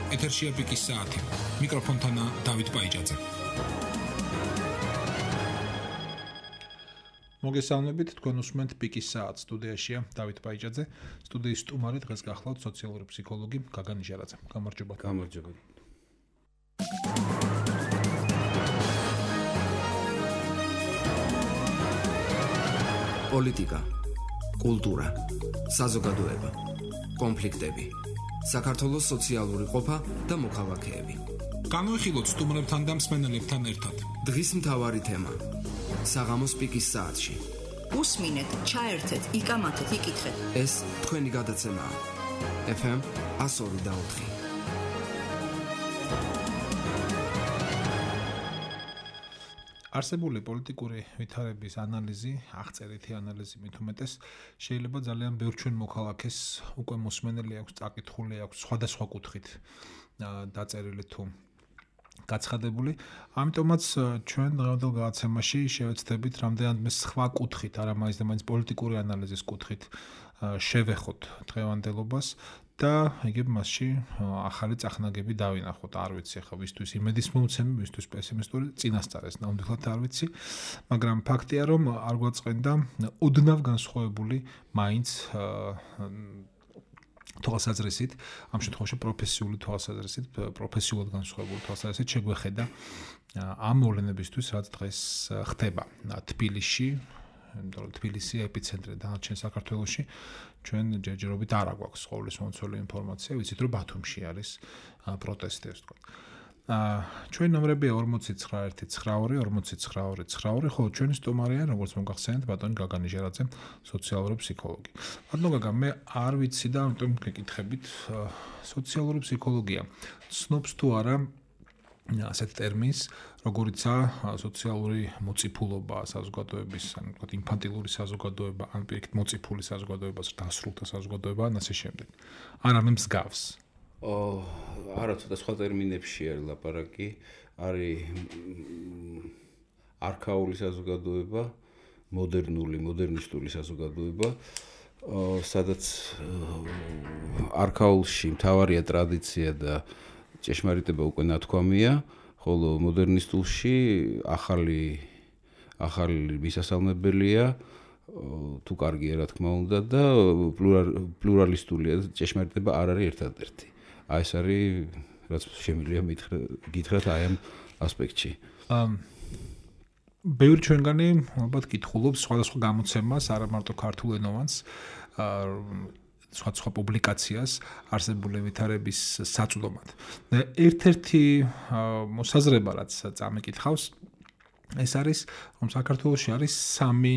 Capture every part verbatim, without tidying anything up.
ეთერშია პიკის საათი. მიკროფონთან დავით ბაიჯაძე. მოგესალმებით, თქვენ უსმენთ პიკის საათს. სტუდიაშია დავით ბაიჯაძე. სტუდიის სტუმარი დღეს გახლავთ სოციალური ფსიქოლოგი გაგა ნიჟარაძე. გამარჯობა. გამარჯობა. პოლიტიკა, კულტურა, საზოგადოება, კონფლიქტები, საქართველოს სოციალური ყოფა და მოქალაქეები. განვიხილოთ სტუმრებთან და მსმენელებთან ერთად. დღის მთავარი თემა: საღამოს პიკის საათში. უსმინეთ, ჩაერთეთ, იკამათეთ, იკითხეთ. ეს თქვენი გადაცემაა. ეფ ემ ათას ორი და ოთხი. არსებული პოლიტიკური ვითარების ანალიზი, აღწერითი ანალიზი მით უმეტეს, შეიძლება ძალიან ბევრ ჩვენ მოქალაქეს უკვე მოსმენელი აქვს, წაკითხული აქვს, სხვადასხვა კუთხით დაწერილი თუ გაცხადებული. ამიტომაც ჩვენ დღევანდელ გადაცემაში შევეცდებით რამდენადმე სხვა კუთხით, არა მაინც და მაინც პოლიტიკური ანალიზის კუთხით შევეხოთ დღევანდელობას და იგივე მასში ახალი წახნაგები დავინახოთ. არ ვიცი ახლა ვისთვის იმედის მომცემი, ვისთვის პესიმისტური, წინასწარ ეს ნამდვილად არ ვიცი, მაგრამ ფაქტია რომ არ გვაწყენდა ოდნავ განსხვავებული მაინც თვალსაზრისით, ამ შემთხვევაში პროფესიული თვალსაზრისით, პროფესიულად განსხვავებული თვალსაზრისით შეგვეხედა ამ მოვლენებისთვის, რაც დღეს ხდება თბილისში, იმიტომ რომ თბილისი ეპიცენტრი დანარჩენ საქართველოში, ჩვენ ჯერჯერობით არ აგვაქვს ყოვლის მომცველი ინფორმაცია, ვიცით რომ ბათუმში არის პროტესტი, ასე ვთქვათ. ჩვენ ნომრებია ორმოცი ცხრა ერთი ცხრა ორი ორმოცი ცხრა ორი ცხრა ორი, ხოლო ჩვენი სტუმარია, როგორც მოგახსენეთ, ბატონი გაგა ნიჟარაძე, სოციალური ფსიქოლოგი. ბატონო გაგა, მე არ ვიცი და ამიტომ გეკითხებით, სოციალური ფსიქოლოგია ცნობს თუ არა ასეთ ტერმინს, როგორიცაა სოციალური მოწიფულობა საზოგადოების, ანუ ვთქვათ, ინფანტილური საზოგადოება, ან პირიქით მოწიფული საზოგადოება, დასრულთა საზოგადოება, ან ასე შემდეგ. არ არის მსგავს. ო, არა, ცოტა სხვა ტერმინებში არის ლაპარაკი, არის არქაული საზოგადოება, მოდერნული, მოდერნისტული საზოგადოება, სადაც არქაულში მთავარია ტრადიცია და ჭეშმარიტება უკვე ნათქვამია, ხოლო მოდერნისტულში ახალი ახალი მისასალმებელია, თუ კარგია რა თქმა უნდა და პლურალისტულია, ჭეშმარიტება არ არის ერთადერთი. აი ეს არის რაც შემიძლია გითხრათ აი ამ ასპექტში. ბევრი ჩვენგანი ალბათ კითხულობს სხვადასხვა გამოცემას, არა მარტო ქართულ ენოვანს, სხვა სხვა პუბლიკაციას არსებული ვითარების საწვდომად. ერთ-ერთი მოსაზრება, რაც წამიკითხავს, ეს არის, რომ საქართველოში არის სამი,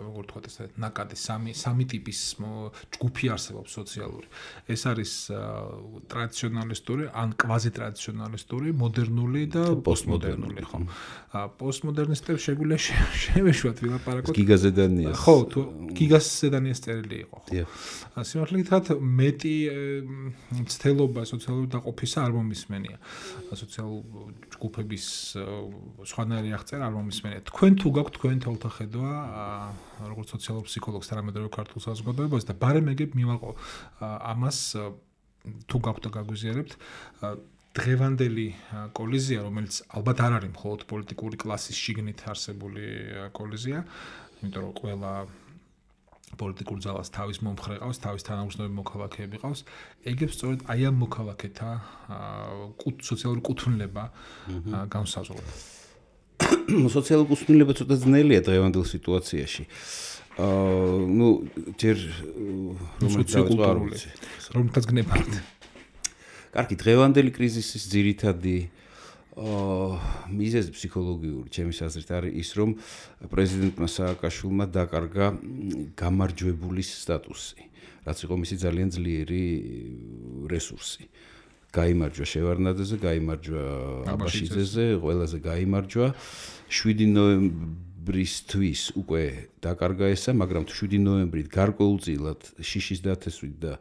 როგორ ვთქვათ, ესე ნაკადი, სამი სამი ტიპის ჯგუფი არსებობს სოციალური. ეს არის ტრადიციონალისტური, ან კვაზი ტრადიციონალისტური, მოდერნული და პოსტმოდერნული, ხო? პოსტმოდერნისტებს შეგვიძლია შევეშვათ ვილაპარაკოთ. გიგა ზედანიას. ხო, თუ გიგა ზედანიას წერილი იყო, ხო? სიმართლე გითხრათ, მეტი მცდელობა სოციალური დაყოფისა არ მომისმენია. სოციალურ ჯგუფების სხვანაირი აღწერა არ მომისმენია. თქვენ თუ გაქვთ თქვენ თვალთა ხედვა, როგორც სოციალურ ფსიქოლოგს და რამე ქართულ საზოგადოებას და ბარემ ეგებ მივაყო ამას თუ გაქვთ და გაგვიზიარებთ დღევანდელი კოლიზია, რომელიც ალბათ არ არის მხოლოდ პოლიტიკური კლასის შიგნით არსებული კოლიზია, იმიტომ რომ ყველა პოლიტიკურ ძალას თავის მომხრე ყავს, თავის თანამგზნები მოქალაქეები ყავს, ეგებს სწორედ აი ამ მოქალაქეთა სოციალური კუთვნილება განსაზღვრება. სოციალური კუთვნილება ცოტა ძნელია დღევანდელ სიტუაციაში. აა, ну, ჯერ რომლითაც რომლითაც გნებავთ. კარგი, დღევანდელი კრიზისის ძირითადი აა მიზეზი ფსიქოლოგიური, ჩემის აზრით, არის ის, რომ პრეზიდენტმა სააკაშვილმა დაკარგა გამარჯვებულის სტატუსი, რაც იყო მისი ძალიან ძლიერი რესურსი. გაიმარჯვა შევარდნაძეზე, გაიმარჯვა აბაშიძეზე, ყველაზე გაიმარჯვა. შვიდი ნოემბრისთვის უკვე დაკარგა ესა, მაგრამ შვიდი ნოემბრით გარკვეულწილად შიშის დათესვით და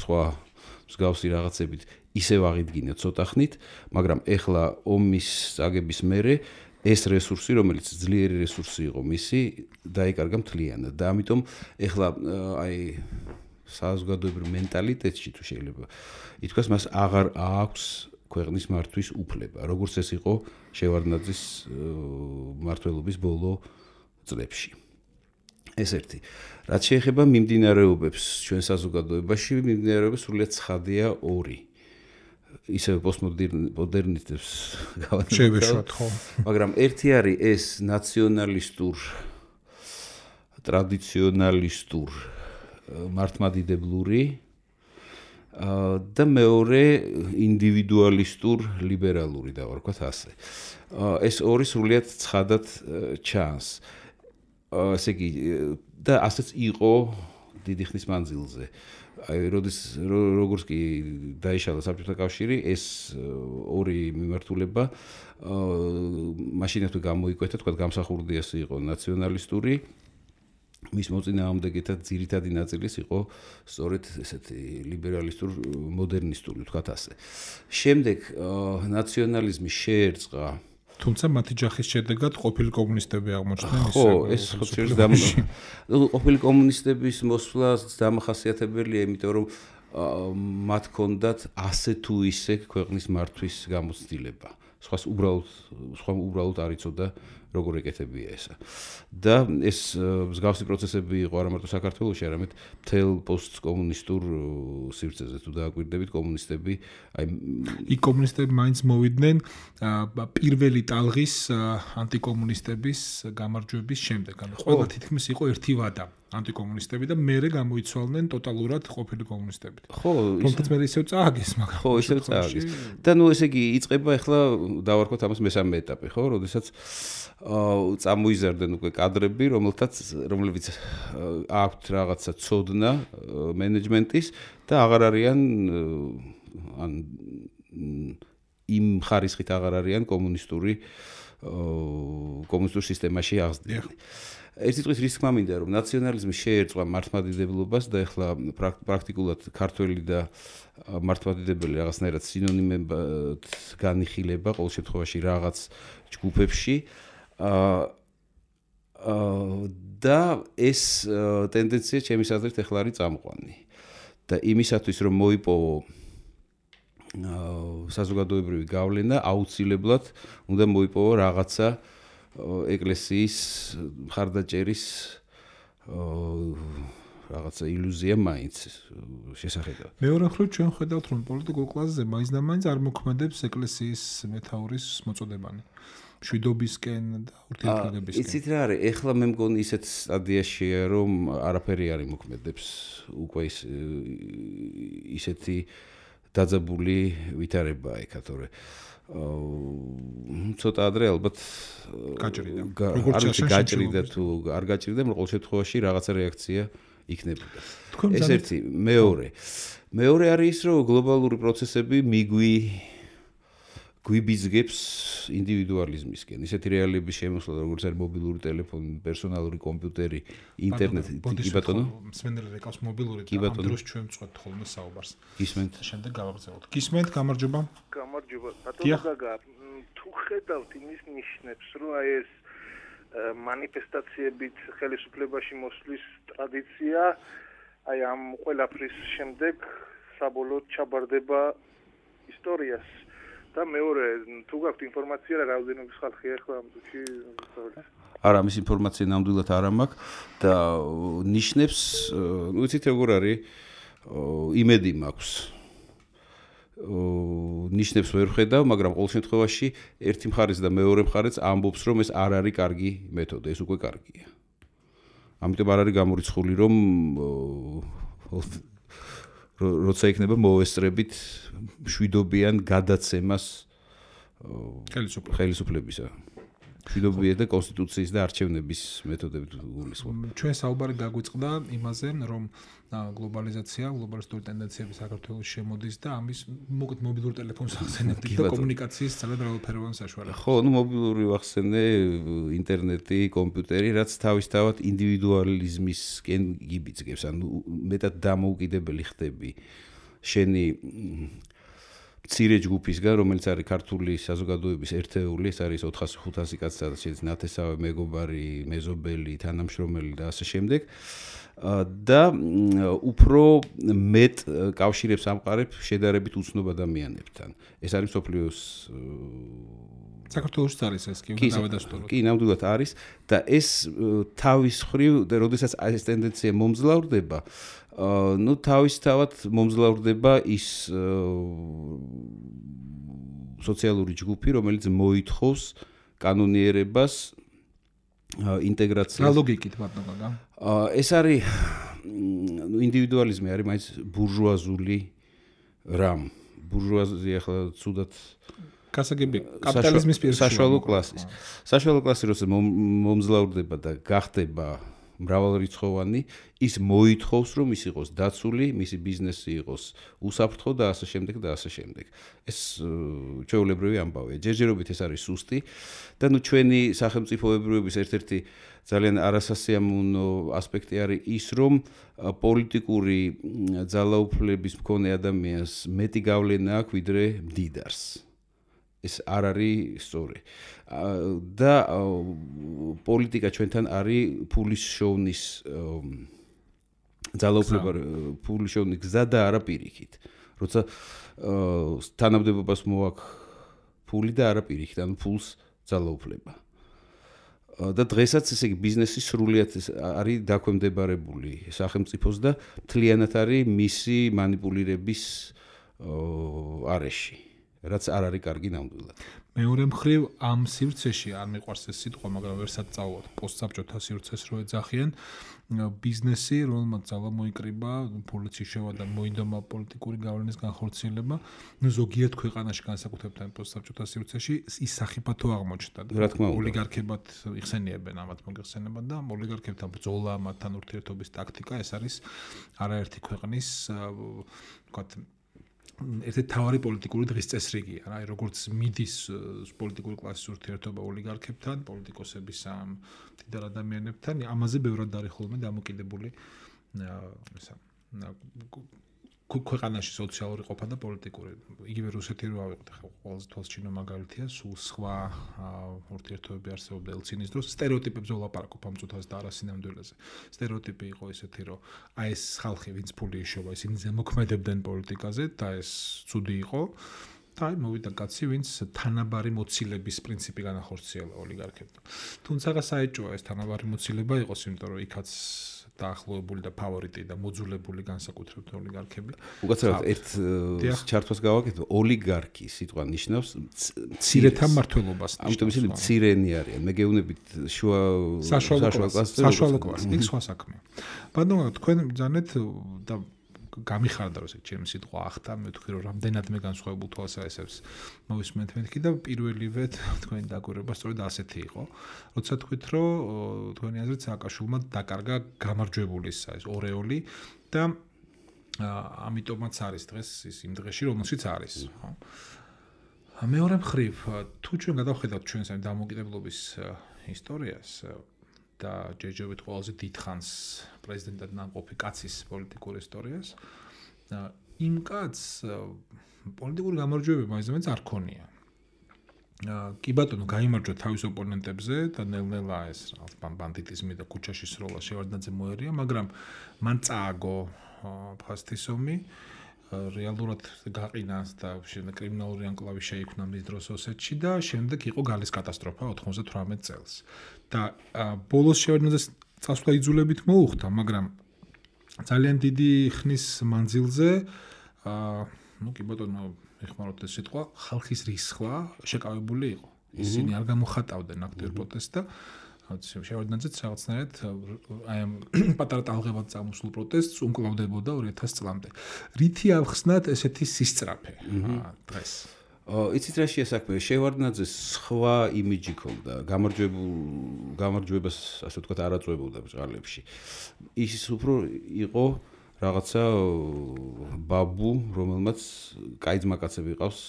სხვა მსგავსი რაღაცებით ისევ აღიდგინა ცოტა ხნით, მაგრამ ეხლა ომის წაგების მერე ეს რესურსი, რომელიც ძლიერი რესურსი იყო მისი, დაიკარგა მთლიანად და ამიტომ ეხლა აი საზოგადოებრივ მენტალიტეტში თუ შეიძლება ითქვას, მას აღარ აქვს ქვეყნის მართვის უფლება, როგორც ეს იყო შევარდნაძის მმართველობის ბოლო წლებში. ეს ერთი. რაც შეეხება მიმდინარეობებს ჩვენ საზოგადოებაში, მიმდინარეობებს სრულიად ცხადია ორი. ისევ პოსტმოდერნისტებს შევეშვათ, ხო. მაგრამ ერთი არის ეს ნაციონალისტურ, ტრადიციონალისტურ, მართლმადიდებლური და მეორე ინდივიდუალისტურ, ლიბერალური და ვთქვათ ასე. ეს ორი სრულიად ცხადად ჩანს. ესე იგი და ასეც იყო დიდი ხნის მანძილზე. აი როდის როგორც კი დაიშალა საბჭოთა კავშირი, ეს ორი მიმართულება მაშინათვე გამოიკვეთა, თქვა გამსახურდი ეს იყო ნაციონალისტური, მის მოწინააღმდეგეთა ძირითადი ნაწილის იყო სწორედ ესეთი ლიბერალისტურ მოდერნისტული, თქვა ასე. შემდეგ ნაციონალიზმი შეერწყა თუმცა მათი ჯახის შედეგად ყოფილი კომუნისტები აღმოჩნდნენ ისე. ხო, ეს ხოჭერს და ყოფილი კომუნისტების მოსვლა დამახასიათებელია, იმიტომ რომ მათ ჰქონდათ ასე თუ ისე ქვეყნის მართვის გამოცდილება. სხვას უბრალოდ სხვა უბრალოდ არ იცოდა როგორ ეკეთებია ესა. და ეს მსგავსი პროცესები იყო არა მარტო საქართველოში, არამედ მთელ პოსტკომუნისტურ სივრცეზე. თუ დააკვირდებით, კომუნისტები, აი იქ კომუნისტები მაინც მოვიდნენ პირველი ტალღის ანტიკომუნისტების გამარჯვების შემდეგ. ანუ ყველა თითქმის იყო ერთი ვადა ანტიკომუნისტები და მერე გამოიცვალნენ ტოტალურად ყოფილი კომუნისტებით. ხო, თუმცა მე ისევ წააგეს, მაგრამ ხო, ისევ წააგეს. და ნუ ესე იგი იწყება ახლა დავარქვათ ამას მესამე ეტაპი, ხო, როდესაც აა წამოიზარდნენ უკვე კადრები, რომელთაც რომლებიც აქვთ რაღაცა ცოდნა მენეჯმენტის და აღარ არიან ან იმ ხარისხით აღარ არიან კომუნისტური კომუნისტურ სისტემაში აღზრდილი. ერთი წუთით რის თქმა მინდა რომ ნაციონალიზმი შეერწყვა მართლმადიდებლობას და ეხლა პრაქტიკულად ქართველი და მართლმადიდებელი რაღაცნაირად სინონიმებად განიხილება ყოველ შემთხვევაში რაღაც ჯგუფებში და ეს ტენდენცია ჩემის აზრით ეხლა არის წამყვანი და იმისათვის რომ მოიპოვო საზოგადოებრივი გავლენა აუცილებლად უნდა მოიპოვო რაღაცა ეკლესიის მხარდაჭერის რაღაცა ილუზია მაინც შესახედავად. მეორე მხრივ ჩვენ ხედავთ რომ პოლიტიკურ კლასზე მაინც და მაინც არ მოქმედებს ეკლესიის მეთაურის მოწოდებანი. მშვიდობისკენ და ურთიერთობისკენ. იცით რა არის? ეხლა მე მგონი ისეთ სტადიაშია რომ არაფერი არ იმოქმედებს უკვე ის ისეთი დაძაბული ვითარებაა ეკა თორე აა ცოტა ადრე ალბათ გაჭრიდა. როგორც გაჭრიდა თუ არ გაჭრიდა, მაგრამ ყოველ შემთხვევაში რაღაცა რეაქცია იქნებოდა. ეს ერთი, მეორე. მეორე არის ის, რომ გლობალური პროცესები მიგვი გვიბიზგებს ინდივიდუალიზმისკენ. ისეთი რეალიების შემოსვლა, როგორც არის მობილური ტელეფონი, პერსონალური კომპიუტერი, ინტერნეტი, კი ბატონო. მსმენელი რეკავს მობილური და ამ დროს ჩვენ ვწყვეტ ხოლმე საუბარს. გისმენთ. შემდეგ გავაგრძელოთ. გისმენთ, გამარჯობა. გამარჯობა. ბატონო გაგა, თუ ხედავთ იმის ნიშნებს, რომ აი ეს მანიფესტაციებით ხელისუფლებაში მოსვლის ტრადიცია, აი ამ ყველაფრის შემდეგ საბოლოოდ ჩაბარდება ისტორიას. და მეორე, თუ გაქვთ ინფორმაცია რა რაოდენობის ხალხია ახლა ამ წუთში სწავლობს? არა, ამის ინფორმაცია ნამდვილად არ მაქვს და ნიშნებს, ну იცით როგორ არის, იმედი მაქვს. ნიშნებს ვერ ხედავ, მაგრამ ყოველ შემთხვევაში ერთი მხარეს და მეორე მხარეს ამბობს, რომ ეს არ არის კარგი მეთოდი, ეს უკვე კარგია. ამიტომ არ არის გამორიცხული, რომ როცა იქნება მოვესწრებით მშვიდობიან გადაცემას ხელისუფლებისა. მშვიდობიან და კონსტიტუციის და არჩევნების მეთოდებით გულისხმობ. ჩვენ საუბარი გაგვიწყდა იმაზე, რომ გლობალიზაცია, გლობალისტური ტენდენციები საქართველოში შემოდის და ამის მოკეთ მობილურ ტელეფონს ახსენებთ და კომუნიკაციის ძალიან მრავალფეროვანი საშუალება. ხო, ну მობილური ვახსენე, ინტერნეტი, კომპიუტერი, რაც თავისთავად ინდივიდუალიზმისკენ გიბიძგებს, ანუ მეტად დამოუკიდებელი ხდები შენი მცირე ჯგუფისგან, რომელიც არის ქართული საზოგადოების ერთეული, ეს არის ოთხასი ხუთასი კაცი, სადაც შეიძლება ნათესავე, მეგობარი, მეზობელი, თანამშრომელი და ასე შემდეგ. და უფრო მეტ კავშირებს ამყარებ შედარებით უცნობ ადამიანებთან. ეს არის მსოფლიოს საქართველოშიც არის ეს კი უნდა დავადასტურო. კი, ნამდვილად არის და ეს თავის მხრივ, როდესაც ეს ტენდენცია მომძლავრდება, ну თავისთავად მომძლავრდება ის სოციალური ჯგუფი, რომელიც მოითხოვს კანონიერებას, ინტეგრაციას. რა ლოგიკით ბატონო? ეს არის ინდივიდუალიზმი არის მაინც ბურჟუაზული რამ. ბურჟუაზია ახლა ცუდად გასაგები კაპიტალიზმის პირში საშუალო კლასის. საშუალო კლასი როცა მომძლავრდება და გახდება მრავალრიცხოვანი, ის მოითხოვს, რომ ის იყოს დაცული, მისი ბიზნესი იყოს უსაფრთხო და ასე შემდეგ და ასე შემდეგ. ეს ჩვეულებრივი ამბავია. ჯერჯერობით ეს არის სუსტი და ნუ ჩვენი სახელმწიფოებრიობის ერთ-ერთი ძალიან არასასიამოვნო ასპექტი არის ის, რომ პოლიტიკური ძალაუფლების მქონე ადამიანს მეტი გავლენა აქვს ვიდრე მდიდარს. ეს არ არის სწორი. და პოლიტიკა ჩვენთან არის ფულის შოვნის ძალაუფლება ფულის შოვნის გზა და არა პირიქით. როცა თანამდებობას მოაქვს ფული და არა პირიქით, ანუ ფულს ძალაუფლება. და დღესაც ესე იგი ბიზნესი სრულიად არის დაქვემდებარებული სახელმწიფოს და მთლიანად არის მისი მანიპულირების არეში. რაც არ არის კარგი ნამდვილად. მეორე მხრივ ამ სივრცეში არ მიყვარს ეს სიტყვა, მაგრამ ვერსაც წავვალ პოსტსაბჭოთა სივრცეს რო ეძახიან, ბიზნესი, რომელმაც ძალა მოიკრიბა, პოლიციის შევა და მოინდომა პოლიტიკური გავლენის განხორციელება, ნუ ზოგიერთ ქვეყანაში განსაკუთრებით პოსტსაბჭოთა სივრცეში ის სახიფათო აღმოჩნდა. ოლიგარქებად იხსენიებენ ამათ მოგეხსენებათ და ოლიგარქებთან ბრძოლა, მათთან ურთიერთობის ტაქტიკა, ეს არის არაერთი ქვეყნის, ვთქვათ, ერთ-ერთი თავარი პოლიტიკური დღის წესრიგია, რა, როგორც მიდის პოლიტიკური კლასის ურთიერთობა ოლიგარქებთან, პოლიტიკოსების ამ მდიდარ ადამიანებთან, ამაზე ბევრად არის ხოლმე დამოკიდებული ისა ქვეყანაში სოციალური ყოფა და პოლიტიკური. იგივე რუსეთი რო ავიღოთ, ახლა ყველაზე თვალსაჩინო მაგალითია, სულ სხვა ურთიერთობები არსებობდა ელცინის დროს. სტერეოტიპებზე ვლაპარაკობ ამ წუთას და არასინამდვილეზე. სტერეოტიპი იყო ესეთი, რომ აი ეს ხალხი, ვინც ფული იშოვა, ისინი ზემოქმედებდნენ პოლიტიკაზე და ეს ცუდი იყო. და აი მოვიდა კაცი, ვინც თანაბარი მოცილების პრინციპი განახორციელა ოლიგარქებთან. თუმცა საეჭვოა ეს თანაბარი მოცილება იყოს, იმიტომ რომ იქაც დაახლოებული და ფავორიტი და მოძულებული განსაკუთრებით ოლიგარქები. უკაცრავად ერთ ჩართვას გავაკეთო, ოლიგარქი სიტყვა ნიშნავს მცირეთა მმართველობას. ამიტომ ისინი მცირენი არიან. მე გეუბნებით შუა საშუალო კლასს. საშუალო კლასს. იქ სხვა საქმეა. ბატონო, თქვენ ბრძანეთ და გამიხარდა რომ ჩემი სიტყვა ახთა, მე ვთქვი რომ რამდენად მე განსხვავებულ თვალსაჩინოს მოვისმენთ მეთქი და პირველივე თქვენი დაკვირვება სწორედ ასეთი იყო. როცა თქვით რომ თქვენი აზრით სააკაშვილმა დაკარგა გამარჯვებულის ეს ორეოლი და ამიტომაც არის დღეს ის იმ დღეში რომელშიც არის, ხო? მეორე მხრივ, თუ ჩვენ გადავხედავთ ჩვენს ამ დამოუკიდებლობის ისტორიას და ჯერჯერობით ყველაზე დიდხანს პრეზიდენტად ნამყოფი კაცის პოლიტიკურ ისტორიას, იმ კაცს პოლიტიკური გამარჯვებები მაინც არ ქონია. კი ბატონო, გაიმარჯვა თავის ოპონენტებზე და ნელ-ნელა ეს ბანდიტიზმი და ქუჩაში სროლა შევარდნაძე მოერია, მაგრამ მან წააგო ფასტისომი, რეალურად გაყინას და შემდეგ კრიმინალური ანკლავი შეიქმნა მის დროს ოსეთში და შემდეგ იყო გალის კატასტროფა ოთხმოცდათვრამეტ წელს. და ბოლოს შევარდნაძეს წასვლა იძულებით მოუხდა, მაგრამ ძალიან დიდი ხნის მანძილზე, ну, კი ბატონო, ეხმაროთ ეს სიტყვა, ხალხის რისხვა შეკავებული იყო. ისინი არ გამოხატავდნენ აქტიურ პროტესტს და შევარდნაძეც რაღაცნაირად აი ამ პატარა ტალღებად წამოსულ პროტესტს უმკლავდებოდა ორი ათასი წლამდე. რითი ავხსნათ ესეთი სისწრაფე დღეს? იცით რა შეასაქმე, შევარდნაძეს სხვა იმიჯი ქონდა, გამარჯვებულ გამარჯვებას, ასე ვთქვათ, არ აწვევებდა ბრძოლებში. ის უფრო იყო რაღაცა ბაბუ, რომელმაც კაი ძმაკაცები ყავს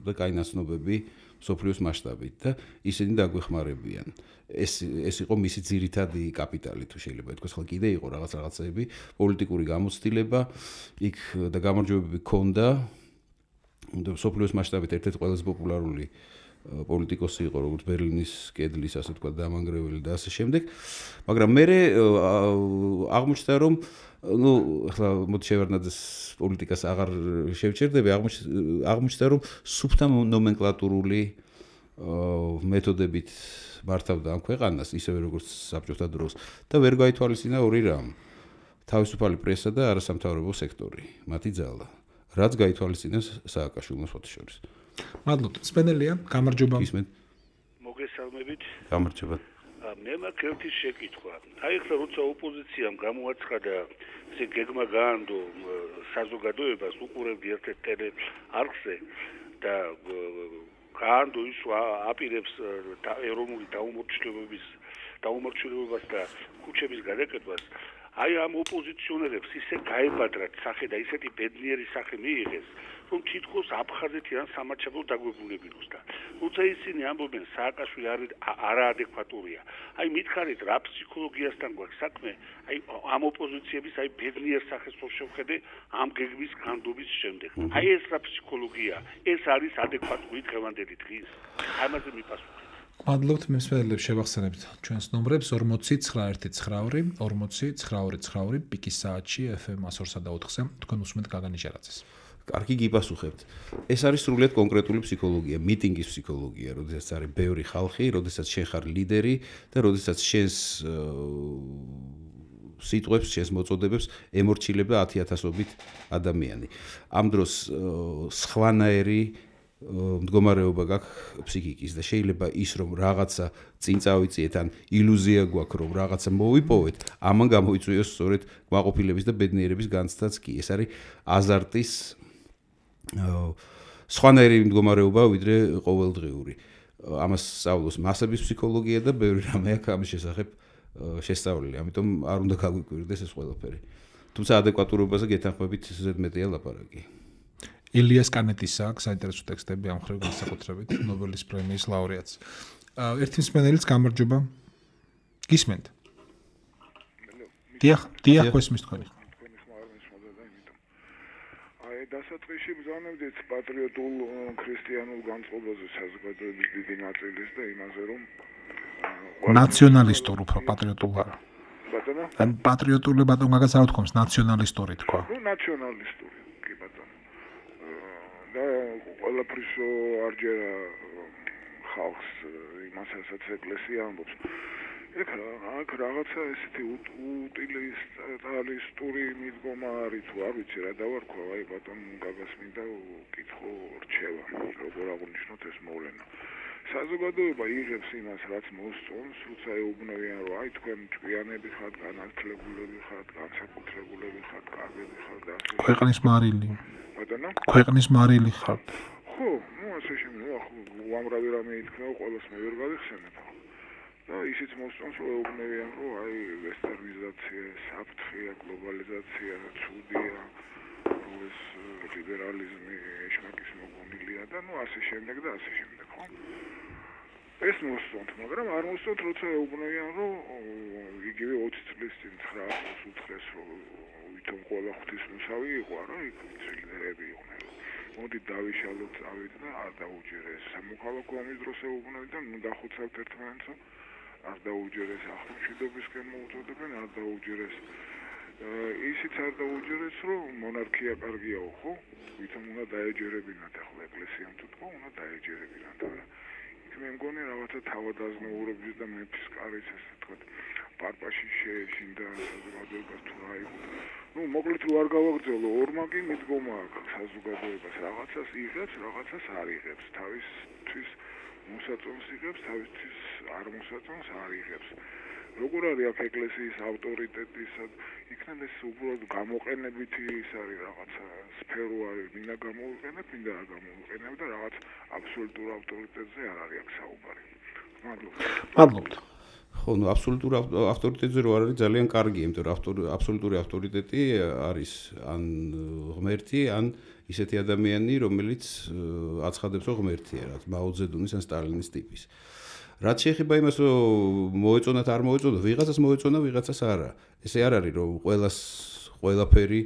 და კაი ნაცნობები სოფლიოს მასშტაბით და ისინი დაგვეხმარებიან. ეს ეს იყო მისი ძირითადი კაპიტალი, თუ შეიძლება ითქვას, ხო კიდე იყო რაღაც რაღაცები, პოლიტიკური გამოცდილება, იქ და გამარჯვებები ქონდა. და სოფლიოს მასშტაბით ერთ-ერთი ყველაზე პოპულარული პოლიტიკოსი იყო, როგორც ბერლინის კედლის, ასე თქვა, დამანგრეველი და ასე შემდეგ. მაგრამ მე აღმოჩნდა, რომ ну, ახლა მოდი შევარდნაძეს პოლიტიკას აღარ შევჩერდები, აღმოჩნდა, რომ სუფთა ნომენკლატურული მეთოდებით მართავდა ამ ქვეყანას, ისევე როგორც საბჭოთა დროს და ვერ გაითვალისწინა ორი რამ. თავისუფალი პრესა და არასამთავრობო სექტორი, მათი ძალა. რაც გაითვალისწინეს სააკაშვილოს ფოტოშორის. მადლობთ. სპენელია, გამარჯობა. ისმენთ. მოგესალმებით. გამარჯობა. მე მაქვს ერთი შეკითხვა. აი ახლა როცა ოპოზიციამ გამოაცხადა, ესე გეგმა გაანდო საზოგადოებას უყურებდი ერთ-ერთ ტელეარხზე და გაანდო ის აპირებს ეროვნული დაუმორჩილებების დაუმორჩილებას და ქუჩების გადაკეთებას. აი ამ ოპოზიციონერებს ისე გაებადრათ სახე და ისეთი ბედნიერი სახე მიიღეს, რომ თითქოს აფხაზეთიდან სამარჩევლო დაგვებულებინოს და როცა ისინი ამბობენ სააკაშვილი არაადეკვატურია. აი მითხარით რა ფსიქოლოგიასთან გვაქვს საქმე, აი ამ ოპოზიციების აი ბედნიერ სახეს რო შევხედე ამ გეგმის განდობის შემდეგ. აი ეს რა ფსიქოლოგია, ეს არის ადეკვატური დღევანდელი დღის. ამაზე მიპასუხეთ. მადლობთ მსმენელებს შევახსენებთ ჩვენს ნომრებს ორმოცი ცხრა ერთი ცხრა ორმოცი ცხრა ორი ცხრა ორი პიკის საათში ეფ ემ one oh three point four-ზე თქვენ უსმენთ გაგანი ჟარაძეს. კარგი გიპასუხებთ. ეს არის სრულიად კონკრეტული ფსიქოლოგია, მიტინგის ფსიქოლოგია, როდესაც არის ბევრი ხალხი, როდესაც შენ ხარ ლიდერი და როდესაც შენს სიტყვებს, შენს მოწოდებებს ემორჩილება ათი ათასობით ადამიანი. ამ დროს სხვანაირი მდგომარეობა გაქვს ფსიქიკის და შეიძლება ის რომ რაღაცა წინ წავიწიეთ ან ილუზია გვაქვს რომ რაღაცა მოვიპოვეთ, ამან გამოიწვიოს სწორედ კმაყოფილების და ბედნიერების განცდაც კი. ეს არის აზარტის სხვანაირი მდგომარეობა ვიდრე ყოველდღიური. ამას სწავლობს მასების ფსიქოლოგია და ბევრი რამე აქვს ამის შესახებ შესწავლილი. ამიტომ არ უნდა გაგვიკვირდეს ეს ყველაფერი. თუმცა ადეკვატურობაზე გეთანხმებით ზედმეტია ლაპარაკი. ილიას კანეტის აქვს საინტერესო ტექსტები ამ ხრივ განსაკუთრებით ნობელის პრემიის ლაურეატს. ერთი მსმენელიც გამარჯობა. გისმენთ? დიახ, დიახ, გესმის თქვენი. აი დასაწყისში ბრძანებდით პატრიოტულ ქრისტიანულ განწყობაზე საზოგადოების დიდი ნაწილის და იმაზე რომ ნაციონალისტურ უფრო პატრიოტულ არა. ბატონო? ან პატრიოტული ბატონ გაგას არ თქოს, ნაციონალისტური თქვა. ნუ ნაციონალისტური, კი ბატონო. და ყველაფრის არჯერა ხალხს იმასაც ეკლესია ამბობს. ეხ აქ რაღაცა ესეთი უტილიტარისტური მიდგომა არის თუ არ ვიცი რა დავარქვა, აი ბატონ გაგას მინდა კითხო რჩევა, როგორ აღნიშნოთ ეს მოვლენა. საზოგადოება იღებს იმას, რაც მოსწონს, როცა ეუბნებიან, რომ აი თქვენ ჭკვიანები ხართ, განათლებულები ხართ, განსაკუთრებულები ხართ, კარგები ხართ და ასე. ქვეყნის მარილი. ბატონო? ქვეყნის მარილი ხართ. ხო, ну ასე შემიძლია, ხო, უამრავი რამე ითქვა, ყველას მე ვერ გავიხსენებ. და ისიც მოსწონს, რომ ეუბნებიან, რომ აი ვესტერნიზაცია, საფრთხეა, გლობალიზაცია, ცუდია, რომ ეს ლიბერალიზმი ეშმაკის მოგონილია და ну ასე შემდეგ და ასე შემდეგ, ხო? ეს მოსწონთ, მაგრამ არ მოსწონთ, როცა ეუბნებიან, რომ იგივე ოცი წლის წინ ცხრა ათას უთხრეს, რომ ვითომ ყველა ღვთისმოსავი იყო, რა, იქ ლიდერები იყვნენ. მოდი დავიშალოთ, წავით და არ დაუჯერეს. სამოქალაქო ომის დროს ეუბნებიან, ნუ დახოცავთ ერთმანეთს, არ დაუჯერეს ახლომშვიდობისკენ მოუწოდებენ, არ დაუჯერეს. ისიც არ დაუჯერეს, რომ მონარქია კარგიაო, ხო? ვითომ უნდა დაეჯერებინათ ახლა ეკლესიამ თუ თქო, უნდა დაეჯერებინათ. იქ მე მგონი რაღაცა თავადაზნაურობის და მეფის კარის ესე თქვა პარპაში შეეშინდა საზოგადოებას თუ რა იყო. ну მოკლედ რო არ გავაგრძელო, ორმაგი მიდგომა აქვს საზოგადოებას, რაღაცას იღებს, რაღაცას არ იღებს, თავისთვის მოსაწონს იღებს, თავისთვის არ მოსაწონს არ იღებს. როგორ არის აქ ეკლესიის ავტორიტეტი, იქნებ ეს უბრალოდ გამოყენებითი ის არის რაღაცა სფერო არის, მინდა გამოვიყენებ, მინდა არ გამოვიყენებ და რაღაც აბსოლუტურ ავტორიტეტზე არ არის აქ საუბარი. მადლობა. მადლობთ. ხო, ну აბსოლუტურ ავტორიტეტზე რო არ არის ძალიან კარგი, იმიტომ რომ აბსოლუტური ავტორიტეტი არის ან ღმერთი, ან ისეთი ადამიანი, რომელიც აცხადებს, რომ ღმერთია, რაც მაო ძედუნის ან სტალინის ტიპის. რაც შეეხება იმას, რომ მოეწონათ არ მოეწონათ, ვიღაცას მოეწონა, ვიღაცას არა. ესე არ არის, რომ ყველას ყველაფერი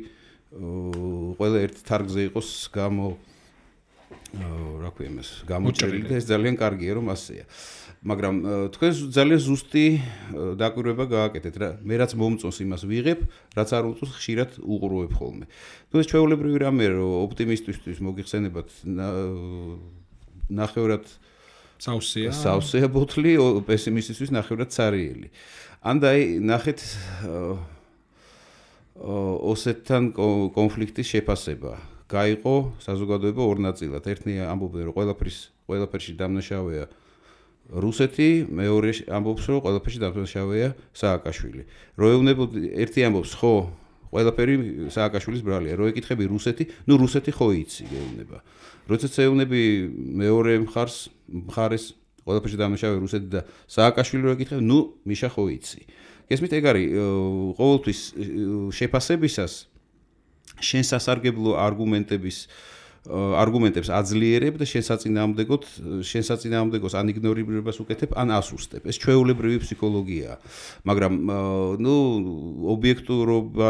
ყველა ერთ თარგზე იყოს გამო რა ქვია იმას, გამოჭრილი და ეს ძალიან კარგია რომ ასეა. მაგრამ თქვენ ძალიან ზუსტი დაკვირვება გააკეთეთ რა. მე რაც მომწონს იმას ვიღებ, რაც არ უწოს ხშირად უყურებ ხოლმე. თუ ეს ჩვეულებრივი რამე რომ ოპტიმისტისთვის მოგიხსენებათ ნახევრად საუსია. საუსია ბოთლი, პესიმისტისთვის ნახევრად цаრიელი. ან და აი ნახეთ ოსეთთან კონფლიქტის შეფასება. გაიყო საზოგადოება ორ ნაწილად. ერთი ამბობდა რომ ყველაფრის ყველაფერში დამნაშავეა რუსეთი, მეორე ამბობს რომ ყველაფერში დამნაშავეა სააკაშვილი. რო ეუბნებოდი ერთი ამბობს ხო ყველაფერი სააკაშვილის ბრალია. რო ეკითხები რუსეთი, ნუ რუსეთი ხო იცი გეუბნება. როდესაც ეუბნები მეორე მხარს მხარეს ყველაფერში დამნაშავე რუსეთი და სააკაშვილი რო ეკითხები, ნუ მიშა ხო იცი. გესმით ეგ არის ყოველთვის შეფასებისას შენ სასარგებლო არგუმენტების არგუმენტებს აძლიერებ და შენ საწინააღმდეგოდ შენ საწინააღმდეგოს ან იგნორირებას უკეთებ, ან ასუსტებ. ეს ჩვეულებრივი ფსიქოლოგიაა. მაგრამ ნუ ობიექტურობა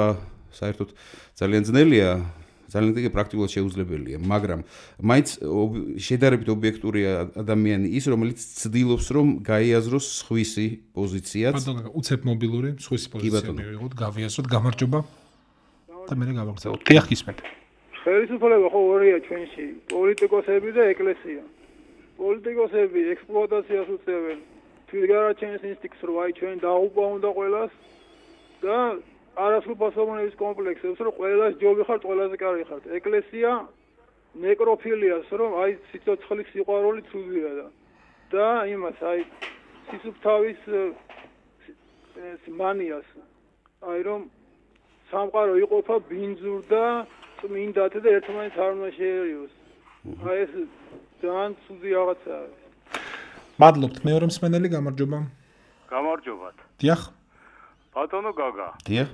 საერთოდ ძალიან ძნელია, ძალიან დიდი პრაქტიკულად შეუძლებელია, მაგრამ მაინც შედარებით ობიექტური ადამიანი ის, რომელიც ცდილობს რომ გაიაზროს სხვისი პოზიციაც. ბატონო, უცებ მობილური სხვისი პოზიცია მივიღოთ, გავიაზროთ, გამარჯობა. და მე გავაგზავნოთ. დიახ, ისმენთ. ხელისუფლება ხო ორია ჩვენში, პოლიტიკოსები და ეკლესია. პოლიტიკოსები ექსპლუატაციას უწევენ თვითგარაჩენის ინსტინქტს, რომ აი ჩვენ დაუყვა უნდა ყველას და არასრულფასოვნების კომპლექსებს, რომ ყველას ჯობი ხართ, ყველაზე კარგი ხართ. ეკლესია ნეკროფილიას, რომ აი სიცოცხლის სიყვარული ცუდია და და იმას აი სისუფთავის მანიას. აი რომ სამყარო იყოფა ბინძურ და წმინდად და ერთმანეთს არ უნდა შეერიოს. აი ეს ძალიან ცუდი რაღაცაა. მადლობთ, მეორე მსმენელი, გამარჯობა. გამარჯობათ. დიახ. ბატონო გაგა. დიახ.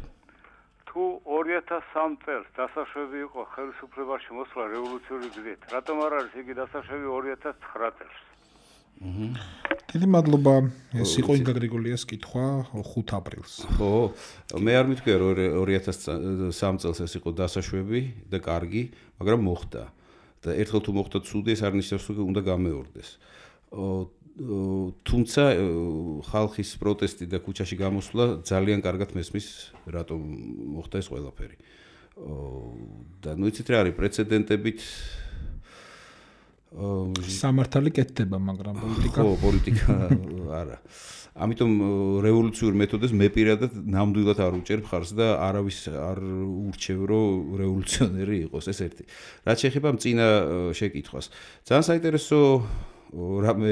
თუ ორი ათას სამი წელს დასაშვები იყო ხელისუფლებაში მოსვლა რევოლუციური გზით, რატომ არ არის იგი დასაშვები ორი ათას ცხრა წელს? აჰა. დიდი მადლობა. ეს იყო ინგა გრიგოლიას კითხვა ხუთ აპრილს. ხო, მე არ მითქვია რომ ორი ათას სამი წელს ეს იყო დასაშვები და კარგი, მაგრამ მოხდა. და ერთხელ თუ მოხდა ცუდი, ეს არ ნიშნავს რომ უნდა გამეორდეს. თუმცა ხალხის პროტესტი და ქუჩაში გამოსვლა ძალიან კარგად მესმის რატომ მოხდა ეს ყველაფერი. და ნუ იცით რა არის პრეცედენტებით სამართალი კეთდება, მაგრამ პოლიტიკა ხო, პოლიტიკა არა. ამიტომ რევოლუციურ მეთოდებს მე პირადად ნამდვილად არ უჭერებ ხარს და არავის არ ურჩევ რომ რევოლუციონერი იყოს, ეს ერთი. რაც შეეხება მწინა შეკითხვას. ძალიან საინტერესო რამე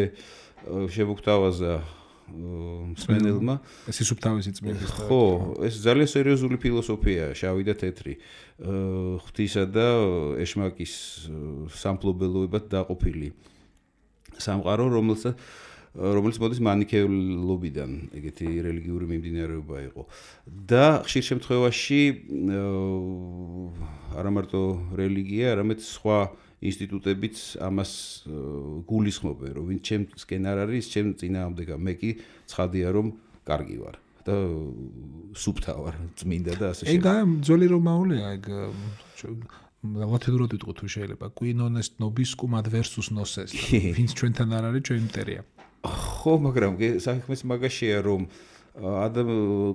შემოგთავაზა მსმენელმა. ეს სისუფთავისი წმინდის. ხო, ეს ძალიან სერიოზული ფილოსოფიაა, შავი და თეთრი. ღვთისა და ეშმაკის სამფლობელოებად დაყოფილი სამყარო, რომელსაც რომელიც მოდის მანიქეულობიდან, ეგეთი რელიგიური მიმდინარეობა იყო. და ხშირ შემთხვევაში არა მარტო რელიგია, არამედ სხვა ინსტიტუტებიც ამას გულისხმობენ, რომ ვინც ჩემსკენ არ არის, ჩემ წინააღმდეგა, მე კი ცხადია რომ კარგი ვარ და სუფთა ვარ, წმინდა და ასე შემდეგ. ეგ ძველი რომაულია, ეგ ლათინურად ვიტყვი თუ შეიძლება. Qui non est nobiscum ad versus nos est. ვინც ჩვენთან არ არის, ჩვენ მტერია. ხო, მაგრამ საქმეც მაგაშია, რომ ადამ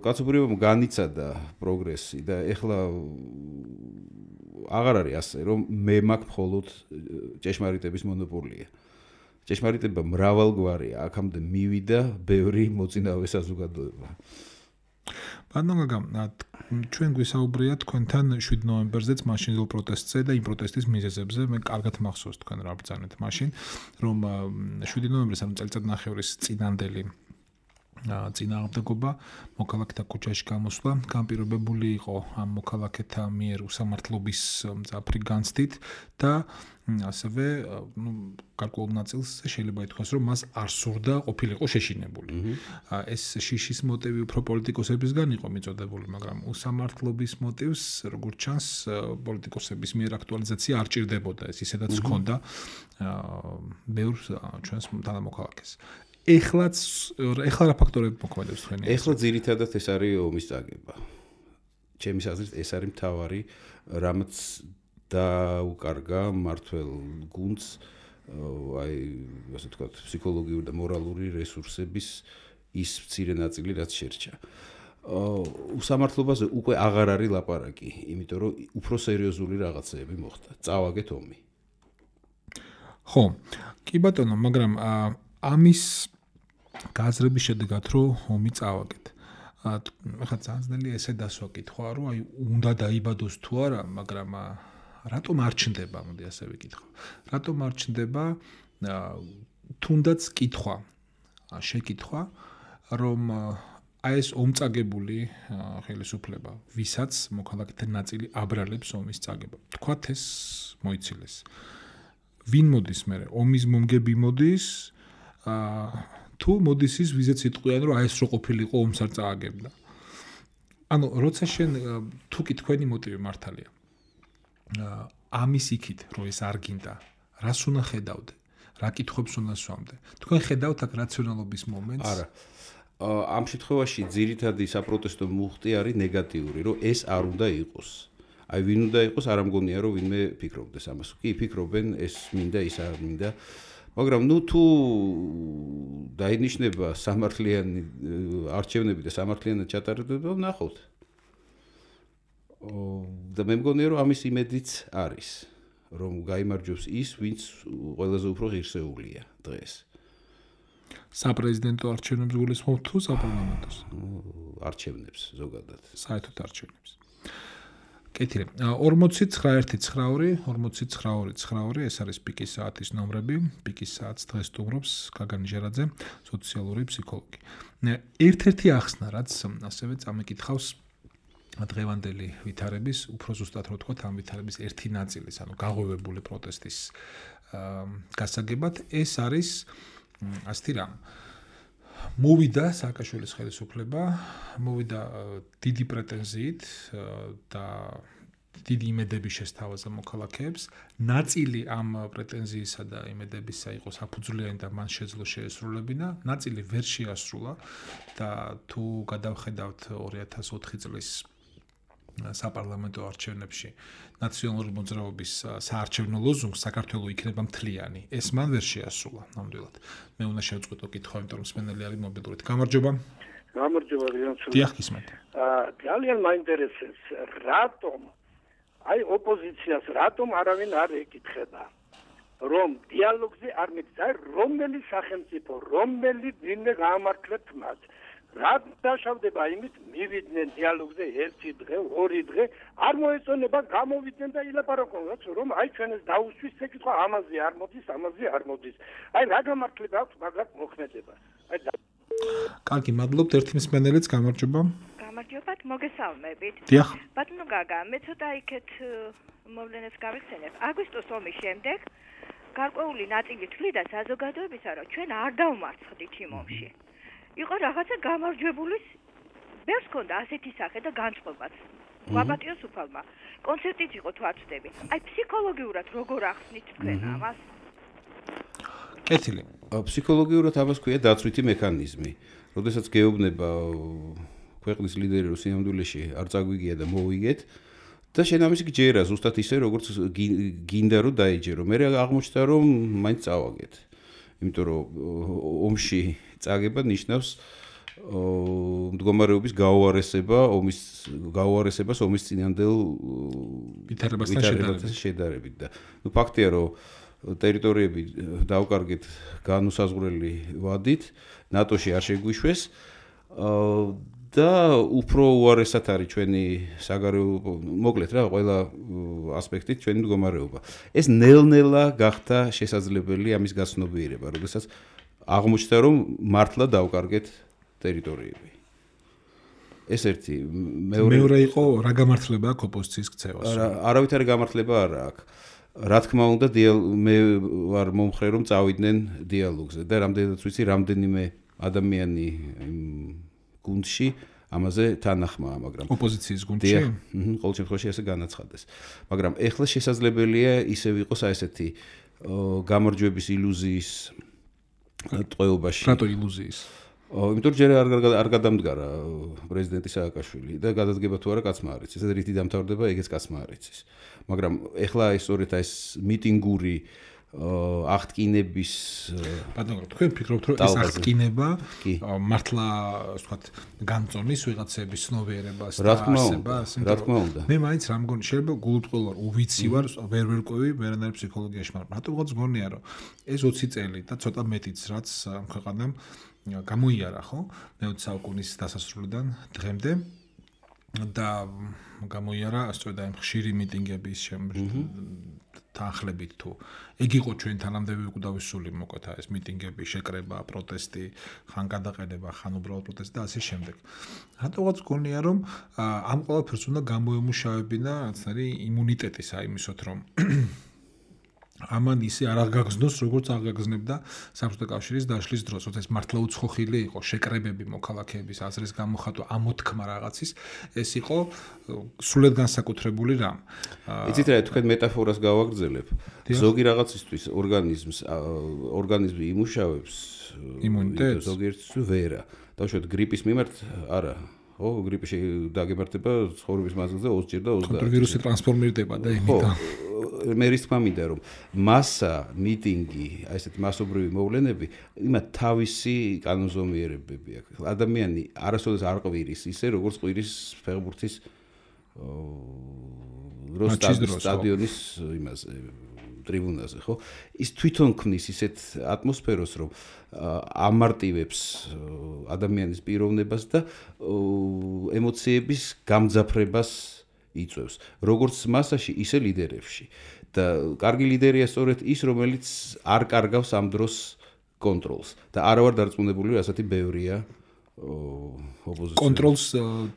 კაცობრიობამ განიცადა პროგრესი და ეხლა აღარ არის ასე, რომ მე მაქვს მხოლოდ ჭეშმარიტების მონოპოლია. ჭეშმარიტება მრავალგვარია, აქამდე მივიდა ბევრი მოწინავე საზოგადოება. ბატონო გაგა, ჩვენ გვისაუბრია თქვენთან შვიდი ნოემბერზეც მაშინდელ პროტესტზე და იმ პროტესტის მიზეზებზე. მე კარგად მახსოვს თქვენ რა ბრძანეთ მაშინ, რომ შვიდი ნოემბრის ამ წელიწადნახევრის წინანდელი წინააღმდეგობა მოქალაქეთა ქუჩაში გამოსვლა განპირობებული იყო ამ მოქალაქეთა მიერ უსამართლობის მძაფრი განცდით და ასევე ნუ გარკვეულ ნაწილს შეიძლება ითქვას რომ მას არ სურდა ყოფილიყო შეშინებული. ეს შიშის მოტივი უფრო პოლიტიკოსებისგან იყო მიწოდებული, მაგრამ უსამართლობის მოტივს როგორც ჩანს პოლიტიკოსების მიერ აქტუალიზაცია არ ჭირდებოდა, ეს ისედაც ჰქონდა ბევრ ჩვენს თანამოქალაქეს. ეხლაც ეხლა რა ფაქტორები მოქმედებს თქვენი? ეხლა ძირითადად ეს არის ომის წაგება. ჩემის აზრით ეს არის მთავარი, რამაც დაუკარგა მართლ გუნდს აი ასე ვთქვათ ფსიქოლოგიური და მორალური რესურსების ის მცირე ნაწილი რაც შერჩა. უსამართლობაზე უკვე აღარ არის ლაპარაკი, იმიტომ რომ უფრო სერიოზული რაღაცეები მოხდა. წავაგეთ ომი. ხო, კი ბატონო, მაგრამ ამის გაზრების შედეგად რომ ომი წავაგეთ. ახლა ძალიან ესე დასვა კითხვა, რომ აი უნდა დაიბადოს თუ არა, მაგრამ რატომ არ ჩნდება, მოდი ასე ვიკითხო. რატომ არ ჩნდება თუნდაც კითხვა, შეკითხვა, რომ აი ეს ომწაგებული ხელისუფლება, ვისაც მოქალაქეთა ნაწილი აბრალებს ომის წაგება. თქვათ ეს მოიცილეს. ვინ მოდის მე? ომის მომგები მოდის, თუ მოდის ის ვიზეც იტყვიან, რომ აი ეს რო ყოფილიყო ომს არ წააგებდა. ანუ როცა შენ თუ კი თქვენი მოტივი მართალია. ამის იქით რომ ეს არ გინდა, რას უნდა ხედავდე? რა კითხვებს უნდა სვამდე? თქვენ ხედავთ აქ რაციონალობის მომენტს? არა. ამ შემთხვევაში ძირითადი საპროტესტო მუხტი არის ნეგატიური, რომ ეს არ უნდა იყოს. აი ვინ უნდა იყოს, არ ამგონია რომ ვინმე ფიქრობდეს ამას. კი, ფიქრობენ, ეს მინდა, ის არ მინდა. მაგრამ ნუ თუ დაინიშნება სამართლიანი არჩევნები და სამართლიანად ჩატარდება, ნახოთ. და მე მგონია რომ ამის იმედიც არის, რომ გაიმარჯვებს ის, ვინც ყველაზე უფრო ღირსეულია დღეს. საპრეზიდენტო არჩევნებს გულისხმობ თუ საპარლამენტოს? არჩევნებს ზოგადად. საერთოდ არჩევნებს. კეთილი. ორმოცი ცხრა ერთი ცხრა ორი, ორმოცი ცხრა ორი ცხრა ორი, ეს არის პიკის საათის ნომრები. პიკის საათს დღეს სტუმრობს გაგანი ჟერაძე, სოციალური ფსიქოლოგი. ერთ-ერთი ახსნა, რაც ასევე წამიკითხავს დღევანდელი ვითარების, უფრო ზუსტად რო ვთქვათ, ამ ვითარების ერთი ნაწილის, ანუ გაღვივებული პროტესტის გასაგებად, ეს არის ასეთი რამ. მოვიდა სააკაშვილის ხელისუფლება, მოვიდა დიდი პრეტენზიით და დიდი იმედები შესთავაზა მოქალაქეებს. ნაწილი ამ პრეტენზიისა და იმედებისა იყო საფუძვლიანი და მან შეძლო შეესრულებინა, ნაწილი ვერ შეასრულა და თუ გადავხედავთ ორი ათას ოთხი წლის საპარლამენტო არჩევნებში ნაციონალური მოძრაობის საარჩევნო ლოზუნგს საქართველოს იქნება მთლიანი. ეს მან ვერ შეასრულა ნამდვილად. მე უნდა შევწყვიტო კითხვა, იმიტომ რომ მსმენელი არის მობილურით. გამარჯობა. გამარჯობა, რიანცო. დიახ, გისმენთ. აა ძალიან მაინტერესებს, რატომ აი ოპოზიციას რატომ არავინ არ ეკითხება, რომ დიალოგზე არ მიწა, რომელი სახელმწიფო, რომელი ვინმე გაამართლებთ მათ. რად დაშავდება იმით მივიდნენ დიალოგზე ერთი დღე, ორი დღე, არ მოეწონება გამოვიდნენ და ილაპარაკონ, რომ აი ჩვენ ეს დაუსვის ეკითხვა ამაზე არ მოდის, ამაზე არ მოდის. აი რა გამართლება აქვს მაგათ მოქმედებას. აი კარგი, მადლობთ, ერთი მსმენელიც გამარჯობა. გამარჯობათ, მოგესალმებით. დიახ. ბატონო გაგა, მე ცოტა იქეთ მოვლენებს გავიხსენებ. აგვისტოს ომის შემდეგ გარკვეული ნაწილი თვლიდა საზოგადოებისა, რომ ჩვენ არ დავმარცხდით იმ ომში. იყო რაღაცა გამარჯვებულის ბევრს ჰქონდა ასეთი სახე და განწყობაც. გვაპატიოს უფალმა. კონცერტიც იყო თუ არ ვწდები. აი ფსიქოლოგიურად როგორ ახსნით თქვენ ამას? კეთილი. ფსიქოლოგიურად ამას ქვია დაცვითი მექანიზმი. როდესაც გეუბნება ქვეყნის ლიდერი რომ სინამდვილეში არ წაგვიგია და მოვიგეთ და შენ ამის გჯერა ზუსტად ისე როგორც გინდა რომ დაიჯერო. მე აღმოჩნდა რომ მაინც წავაგეთ. იმიტომ რომ ომში წაგება ნიშნავს მდგომარეობის გაუარესება, ომის გაუარესებას ომის წინანდელ ვითარებასთან შედარებით და ნუ ფაქტია რომ ტერიტორიები დაუკარგეთ განუსაზღვრელი ვადით, ნატოში არ შეგვიშვეს და უფრო უარესად არის ჩვენი საგარეო, მოკლედ რა, ყველა ასპექტით ჩვენი მდგომარეობა. ეს ნელ-ნელა გახდა შესაძლებელი ამის გაცნობიერება, როდესაც აღმოჩნდა რომ მართლა დაუკარგეთ ტერიტორიები. ეს ერთი, მეორე მეორე იყო რა გამართლება აქვს ოპოზიციის ქცევას? არავითარი გამართლება არა აქვს. რა თქმა უნდა, მე ვარ მომხრე რომ წავიდნენ დიალოგზე და რამდენადაც ვიცი, რამდენიმე ადამიანი გუნდში ამაზე თანახმაა, მაგრამ ოპოზიციის გუნდში? ყოველ შემთხვევაში ასე განაცხადეს. მაგრამ ეხლა შესაძლებელია ისევ იყოს ასეთი გამარჯვების ილუზიის ტყვეობაში. რატო ილუზიის? იმიტომ რომ ჯერ არ არ გადამდგარა პრეზიდენტი სააკაშვილი და გადადგება თუ არა კაცმა არ იცის. ეს რითი დამთავრდება, ეგეც კაცმა არ იცის. მაგრამ ეხლა ეს სწორედ ეს მიტინგური აღტკინების ბატონო, თქვენ ფიქრობთ, რომ ეს აღტკინება მართლა, ასე ვთქვათ, განწონის ვიღაცების ცნობიერებას და არსებას? რა თქმა უნდა. მე მაინც რა მგონი, შეიძლება გულუბრყვილო ვარ, უვიცი ვარ, ვერ ვერ ყვევი ვერანაირ ფსიქოლოგიაში, მაგრამ რატომღაც გონია, რომ ეს ოცი წელი და ცოტა მეტიც რაც ამ ქვეყანამ გამოიარა, ხო? მეოცე საუკუნის დასასრულიდან დღემდე და გამოიარა სწორედ ამ ხშირი მიტინგების თანხლებით თუ ეგ იყო ჩვენ თანამდებები უკვე მოკლედ ეს მიტინგები, შეკრება, პროტესტი, ხან გადაყენება, ხან უბრალოდ პროტესტი და ასე შემდეგ. რატომღაც გონია, რომ ამ ყველაფერს უნდა გამოემუშავებინა რაც არის იმუნიტეტი საიმისოთ, რომ ამან ისე არ აღგაგზნოს, როგორც აღგაგზნებდა საბჭოთა კავშირის დაშლის დროს, როცა ეს მართლა უცხოხილი იყო, შეკრებები მოქალაქეების აზრის გამოხატვა, ამოთქმა რაღაცის, ეს იყო სრულად განსაკუთრებული რამ. იცით რა, თქვენ მეტაფორას გავაგრძელებ. ზოგი რაღაცისთვის ორგანიზმს ორგანიზმი იმუშავებს იმუნიტეტს, ზოგიერთისთვის ვერა. დავუშვათ გრიპის მიმართ არა. ხო, გრიპში დაგემართება ცხოვრების მანძილზე ოცი ჯერ და ოცდაათი. კონტრვირუსი ტრანსფორმირდება და იმითო. მე რის თქმა მინდა რომ მასა, მიტინგი, აი ესეთი მასობრივი მოვლენები, იმათ თავისი კანონზომიერებები აქვს. ადამიანი არასოდეს არ ყვირის ისე, როგორც ყვირის ფეხბურთის სტადიონის იმაზე ტრიბუნაზე, ხო? ის თვითონ ქმნის ისეთ ატმოსფეროს, რომ ამარტივებს ადამიანის პიროვნებას და ემოციების გამძაფრებას იწვევს. როგორც მასაში, ისე ლიდერებში. და კარგი ლიდერია სწორედ ის, რომელიც არ კარგავს ამ დროს კონტროლს და არა ვარ დარწმუნებული, რომ ასეთი ბევრია ოპოზიცია. კონტროლს,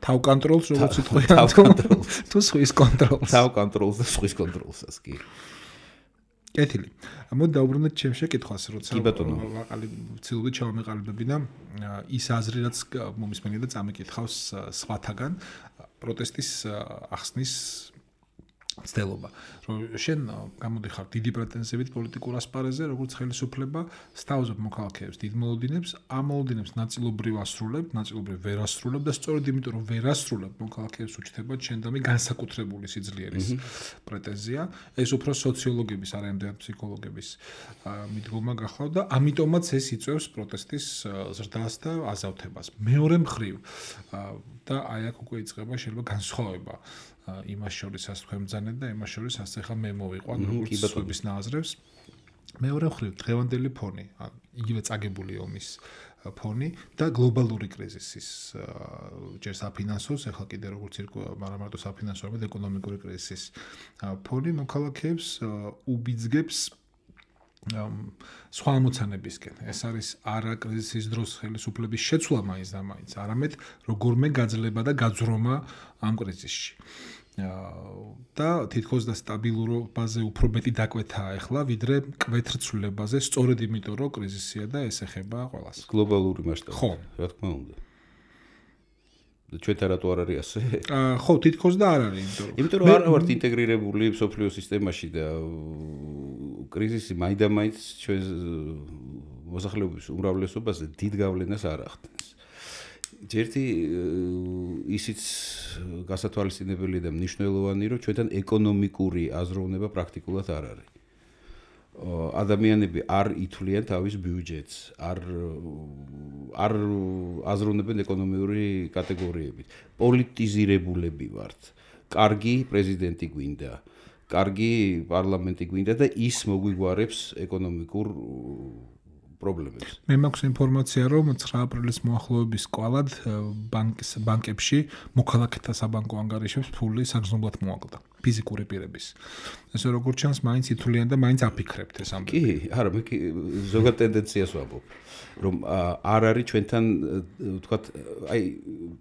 თავ კონტროლს, როგორც იტყვიან, თავ კონტროლს, თუ სხვის კონტროლს. თავ კონტროლს და სხვის კონტროლსაც კი. კეთილი. მოდი დავუბრუნდეთ ჩემ შეკითხვას, როცა ვაყალი ცილობით ჩავამეყალიბები და ის აზრი, რაც მომისმენია და წამიკითხავს სხვათაგან პროტესტის ახსნის ცდელობა. რომ შენ გამოდიხარ დიდი პრეტენზიებით პოლიტიკურ ასპარეზზე, როგორც ხელისუფლება სთავაზობ მოქალაქეებს დიდ მოლოდინებს, ამ მოლოდინებს ნაწილობრივ ასრულებ, ნაწილობრივ ვერ ასრულებ და სწორედ იმიტომ, რომ ვერ ასრულებ მოქალაქეებს უჩნდება შენდამი განსაკუთრებული სიძლიერის პრეტენზია. ეს უფრო სოციოლოგების, არა იმდენად ფსიქოლოგების მიდგომა გახლავთ და ამიტომაც ეს იწვევს პროტესტის ზრდას და აზავთებას. მეორე მხრივ და აი აქ უკვე იწყება შეიძლება განსხვავება იმას შორის ას თქვენ ბრძანეთ და იმას შორის ას ახლა მე მოვიყვან როგორც სხვების ნაზრებს. მეორე მხრივ დღევანდელი ფონი, იგივე წაგებული ომის ფონი და გლობალური კრიზისის ჯერ საფინანსოს, ახლა კიდე როგორც ირკვევა, მაგრამ მარტო საფინანსო, არამედ ეკონომიკური კრიზისის ფონი მოქალაქეებს უბიძგებს სხვა ამოცანებისკენ. ეს არის არა კრიზისის დროს ხელისუფლების შეცვლა მაინც და მაინც, არამედ როგორმე გაძლება და გაძრომა ამ კრიზისში. და თითქოს და სტაბილურობაზე უფრო მეტი დაკვეთაა ახლა, ვიდრე კვეთრცვლილებაზე, სწორედ იმიტომ, რომ კრიზისია და ეს ეხება ყველას. გლობალური მასშტაბით. ხო, რა თქმა უნდა. და ჩვენთან რატო არ არის ასე? ხო, თითქოს და არ არის, იმიტომ რომ იმიტომ რომ არ ვართ ინტეგრირებული სოფლიო სისტემაში და კრიზისი მაინდა-მაინც ჩვენ მოსახლეობის უმრავლესობაზე დიდ გავლენას არ ახდენს. ჯერთი ისიც გასათვალისწინებელი და მნიშვნელოვანი, რომ ჩვენთან ეკონომიკური აზროვნება პრაქტიკულად არ არის. ადამიანები არ ითვლიან თავის ბიუჯეტს, არ არ აზროვნებენ ეკონომიური კატეგორიებით. პოლიტიზირებულები ვართ. კარგი პრეზიდენტი გვინდა, კარგი პარლამენტი გვინდა და ის მოგვიგوارებს ეკონომიკურ პრობლემებს. მე მაქვს ინფორმაცია, რომ ცხრა აპრილის მოახლოების კვალად ბანკის ბანკებში მოქალაქეთა საბანკო ანგარიშებს ფული საგრძნობლად მოაკლდა ფიზიკური პირების. ესე როგორც ჩანს, მაინც ითვლიან და მაინც აფიქრებთ ეს ამბები. კი, არა, მე ზოგად ტენდენციას ვამბობ, რომ არ არის ჩვენთან, ვთქვათ, აი,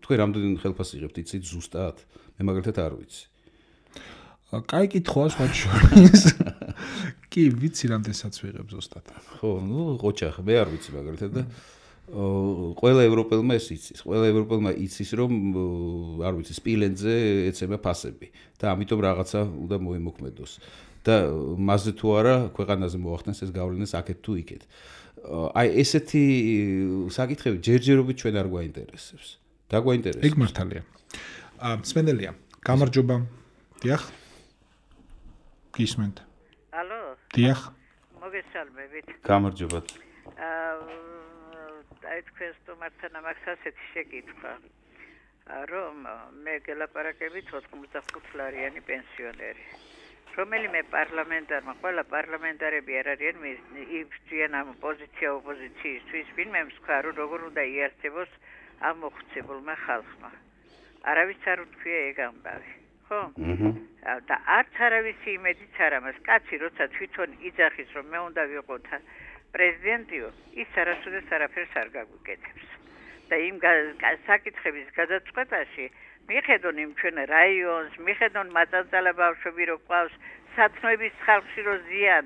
თქვენ რამდენი ხელფასს იღებთ, იცით ზუსტად? მე მაგალითად არ ვიცი. კაი კითხვაა სხვა შორის. კი, ვიცი რამდენსაც ვიღებ ზუსტად. ხო, ნუ ყოჩახ, მე არ ვიცი მაგალითად და ყველა ევროპელმა ეს იცის. ყველა ევროპელმა იცის, რომ არ ვიცი, სპილენძე ეცემა ფასები და ამიტომ რაღაცა უნდა მოემოქმედოს. და მასზე თუ არა ქვეყანაზე მოახდენს ეს გავლენას აქეთ თუ იქეთ. აი ესეთი საკითხები ჯერჯერობით ჩვენ არ გვაინტერესებს. და გვაინტერესებს. ეგ მართალია. აა სპენელია, გამარჯობა. დიახ. გისმენთ. ალო. დიახ. მოგესალმებით. გამარჯობა. აა აი თქვენ სტუმართან ამას ასეთი შეკითხვა. რომ მე გელაპარაკებით ოთხმოცდახუთ ლარიანი პენსიონერი. რომელიმე პარლამენტარმა, ყველა პარლამენტარები არ არიან იბრძვიან ამ პოზიცია ოპოზიციისთვის, ვინმე მსქვა, რომ როგორ უნდა იარსებოს ამ მოხუცებულმა ხალხმა. არავის არ უთქვია ეგ ამბავი, ხო? და არც არავისი იმედიც არ ამას. კაცი როცა თვითონ იძახის, რომ მე უნდა ვიყო პრეზიდენტიო, ის არასოდეს არაფერს არ გაგვიკეთებს. და იმ საკითხების გადაწყვეტაში მიხედონ იმ ჩვენ რაიონს, მიხედონ მაწანწალა ბავშვები რო ყავს, სათნოების ხალხში რო ზიან,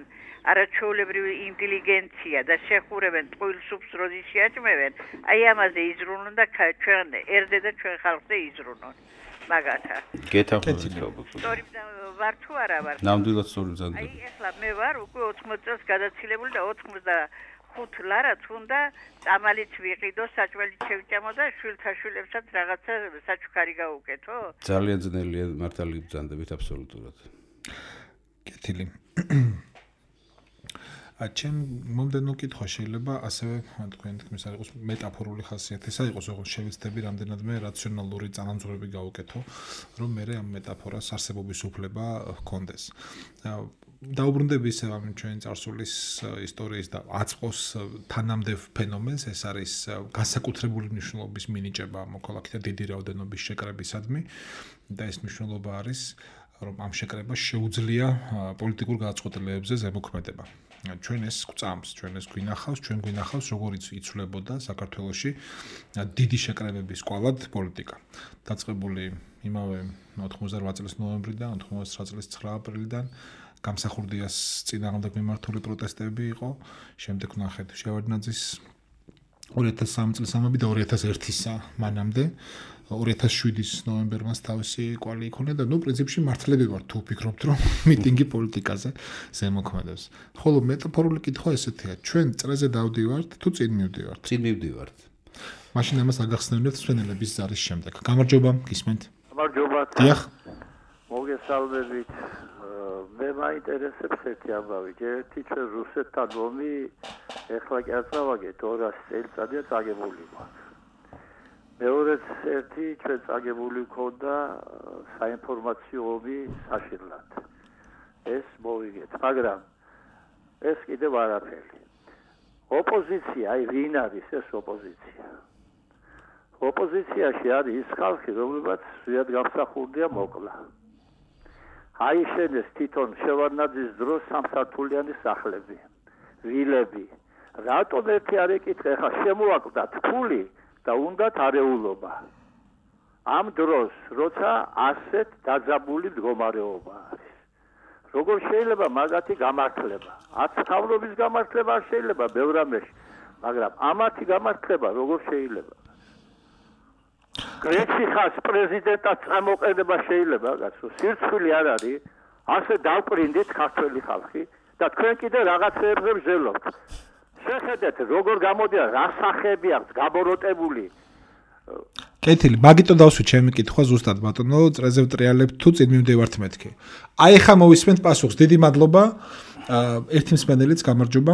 არაჩვეულებრივი ინტელიგენცია და შეხურებენ ტყუილ სუფს როდის შეაჭმევენ, აი ამაზე იზრუნონ და ჩვენ ერდე და ჩვენ ხალხზე იზრუნონ. მაგათა. გეთახმებით. სწორი ვარ თუ არა ვარ? ნამდვილად სწორი ბრძანდება. აი ახლა მე ვარ უკვე ოთხმოცი წელს გადაცილებული და ოთხმოცდახუთ ლარად უნდა წამალიც ვიყიდო, საჭმელიც შევჭამო და შვილთა შვილებსაც რაღაცა საჩუქარი გაუკეთო? ძალიან ძნელია მართალი ბრძანდებით აბსოლუტურად. კეთილი. აჩემ მომდენო კითხვა შეიძლება ასევე თქვენ თქმის არ იყოს მეტაფორული ხასიათისა იყოს, როგორც შევეცდები რამდენადმე რაციონალური წანამძღვრები გავუკეთო, რომ მე ამ მეტაფორას არსებობის უფლება ჰქონდეს. დაუბრუნდები ისევ ამ ჩვენი წარსულის ისტორიის და აწყოს თანამდევ ფენომენს, ეს არის განსაკუთრებული მნიშვნელობის მინიჭება მოქალაქეთა დიდი რაოდენობის შეკრებისადმი და ეს მნიშვნელობა არის, რომ ამ შეკრებას შეუძლია პოლიტიკურ გადაწყვეტილებებზე ზემოქმედება. ჩვენ ეს გვწამს, ჩვენ ეს გვინახავს, ჩვენ გვინახავს, როგორიც იცვლებოდა საქართველოში დიდი შეკრებების კვალად პოლიტიკა. დაწყებული იმავე ოთხმოცდარვაათ წლის ნოემბრიდან, ოთხმოცდაათი წლის ცხრა აპრილიდან გამსახურდიას წინააღმდეგ მიმართული პროტესტები იყო, შემდეგ ვნახეთ შევარდნაძის ორი ათას სამი წლის ამბები და ორი ათას ერთისა მანამდე ორი ათას შვიდის ნოემბერმას თავისი კვალი იქონია და ნუ პრინციპში მართლები ვარ თუ ვფიქრობთ რომ მიტინგი პოლიტიკაზე ზემოქმედებს. ხოლო მეტაფორული კითხვა ესეთია, ჩვენ წრეზე დავდივართ თუ წინ მივდივართ? წინ მივდივართ. მაშინ ამას აგახსნებინებთ სვენელების ზარის შემდეგ. გამარჯობა, გისმენთ. გამარჯობა. დიახ. მოგესალმებით. მე მაინტერესებს ერთი ამბავი, ერთი ჩვენ რუსეთთან ომი ეხლა კი არ წავაგეთ ორასი წელიწადია წაგებული მაქვს. მეორეც ერთი ჩვენ წაგებული ქონდა საინფორმაციო ომი საშინლად. ეს მოვიგეთ, მაგრამ ეს კიდევ არაფერი. ოპოზიცია, აი ვინ არის ეს ოპოზიცია? ოპოზიციაში არის ის ხალხი, რომლებსაც ზიად გამსახურდია მოკლა. აიშენეს თვითონ შევარდნაძის დროს სამსართულიანი სახლები, ვილები. რატომ ერთი არ ეკითხა, ხა შემოაკვდათ ფული და უნდათ არეულობა. ამ დროს, როცა ასეთ დაძაბული მდგომარეობა არის. როგორ შეიძლება მაგათი გამართლება? აცხოვრობის გამართლება არ შეიძლება ბევრ რამეში, მაგრამ ამათი გამართლება როგორ შეიძლება? გრეცი ხას პრეზიდენტად წამოყენება შეიძლება, გასო სირცხვილი არ არის, ასე დავყრინდით ქართველი ხალხი და თქვენ კიდე რაღაცეებზე ვზელობთ. შეხედეთ, როგორ გამოდიან, რა სახეები აქვს გაბოროტებული. კეთილი, მაგიტო დავსვით ჩემი კითხვა ზუსტად ბატონო, წრეზე ვტრიალებთ თუ წინ მივდივართ მეთქი. აი ხა მოვისმენთ პასუხს, დიდი მადლობა. ერთი მსმენელიც გამარჯობა.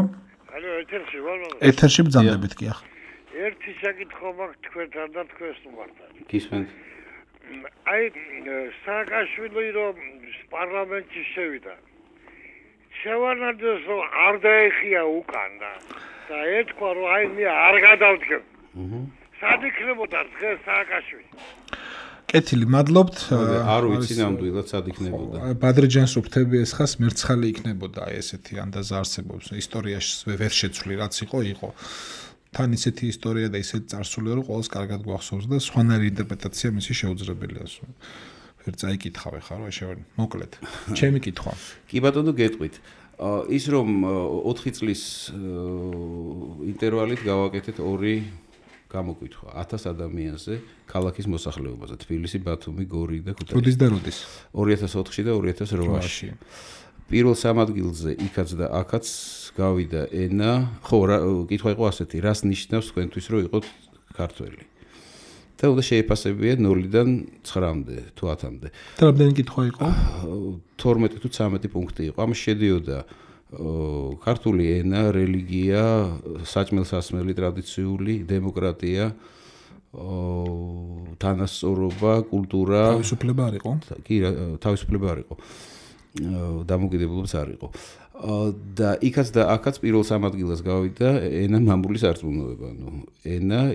ალო, ეთერში ვარ. ეთერში ბრძანდებით კი ახლა. ერთი საკითხო მაქვს თქვენთან და თქვენს უართან. გისმენთ. აი სააკაშვილი რომ პარლამენტში შევიდა. შევარდნაძეს რომ არ დაეხია უკან და და ეთქვა რომ აი მე არ გადავდგებ. აჰა. სად იქნებოდა დღეს სააკაშვილი? კეთილი, მადლობთ. არ ვიცი ნამდვილად სად იქნებოდა. ბადრიჯანს რო ვთები ეს ხას მერცხალი იქნებოდა აი ესეთი ანდაზა არსებობს. ისტორიაში ვერ შეცვლი რაც იყო, იყო. თან ისეთი ისტორია და ისეთი წარსულია რომ ყოველს კარგად გვახსოვს და სხვანაირი ინტერპრეტაცია მისი შეუძლებელია. ვერ წაიკითხავ ხარ რა შევარ მოკლედ. ჩემი კითხვა. კი ბატონო გეტყვით. ის რომ ოთხი წლის ინტერვალით გავაკეთეთ ორი გამოკითხვა ათას ადამიანზე ქალაქის მოსახლეობაზე თბილისი, ბათუმი, გორი და ქუთაისი. როდის და როდის? ორი ათას ოთხში და ორი ათას ოთხში. პირველ სამ ადგილზე იქაც და აქაც გავიდა ენა. ხო, კითხვა იყო ასეთი, რას ნიშნავს თქვენთვის რომ იყოთ ქართველი? და უნდა შეეფასებია ნულიდან ცხრამდე თუ ათამდე. და რამდენი კითხვა იყო? თორმეტი თუ ცამეტი პუნქტი იყო. ამაში შედიოდა ქართული ენა, რელიგია, საჭმელ-სასმელი, ტრადიციული, დემოკრატია, თანასწორობა, კულტურა. თავისუფლება არ იყო? კი, თავისუფლება არ იყო. დამოუკიდებლობაც არ იყო. და იქაც და აქაც პირველ სამ ადგილას გავიდა ენა, მამული სარწმუნოება, ნუ ენა,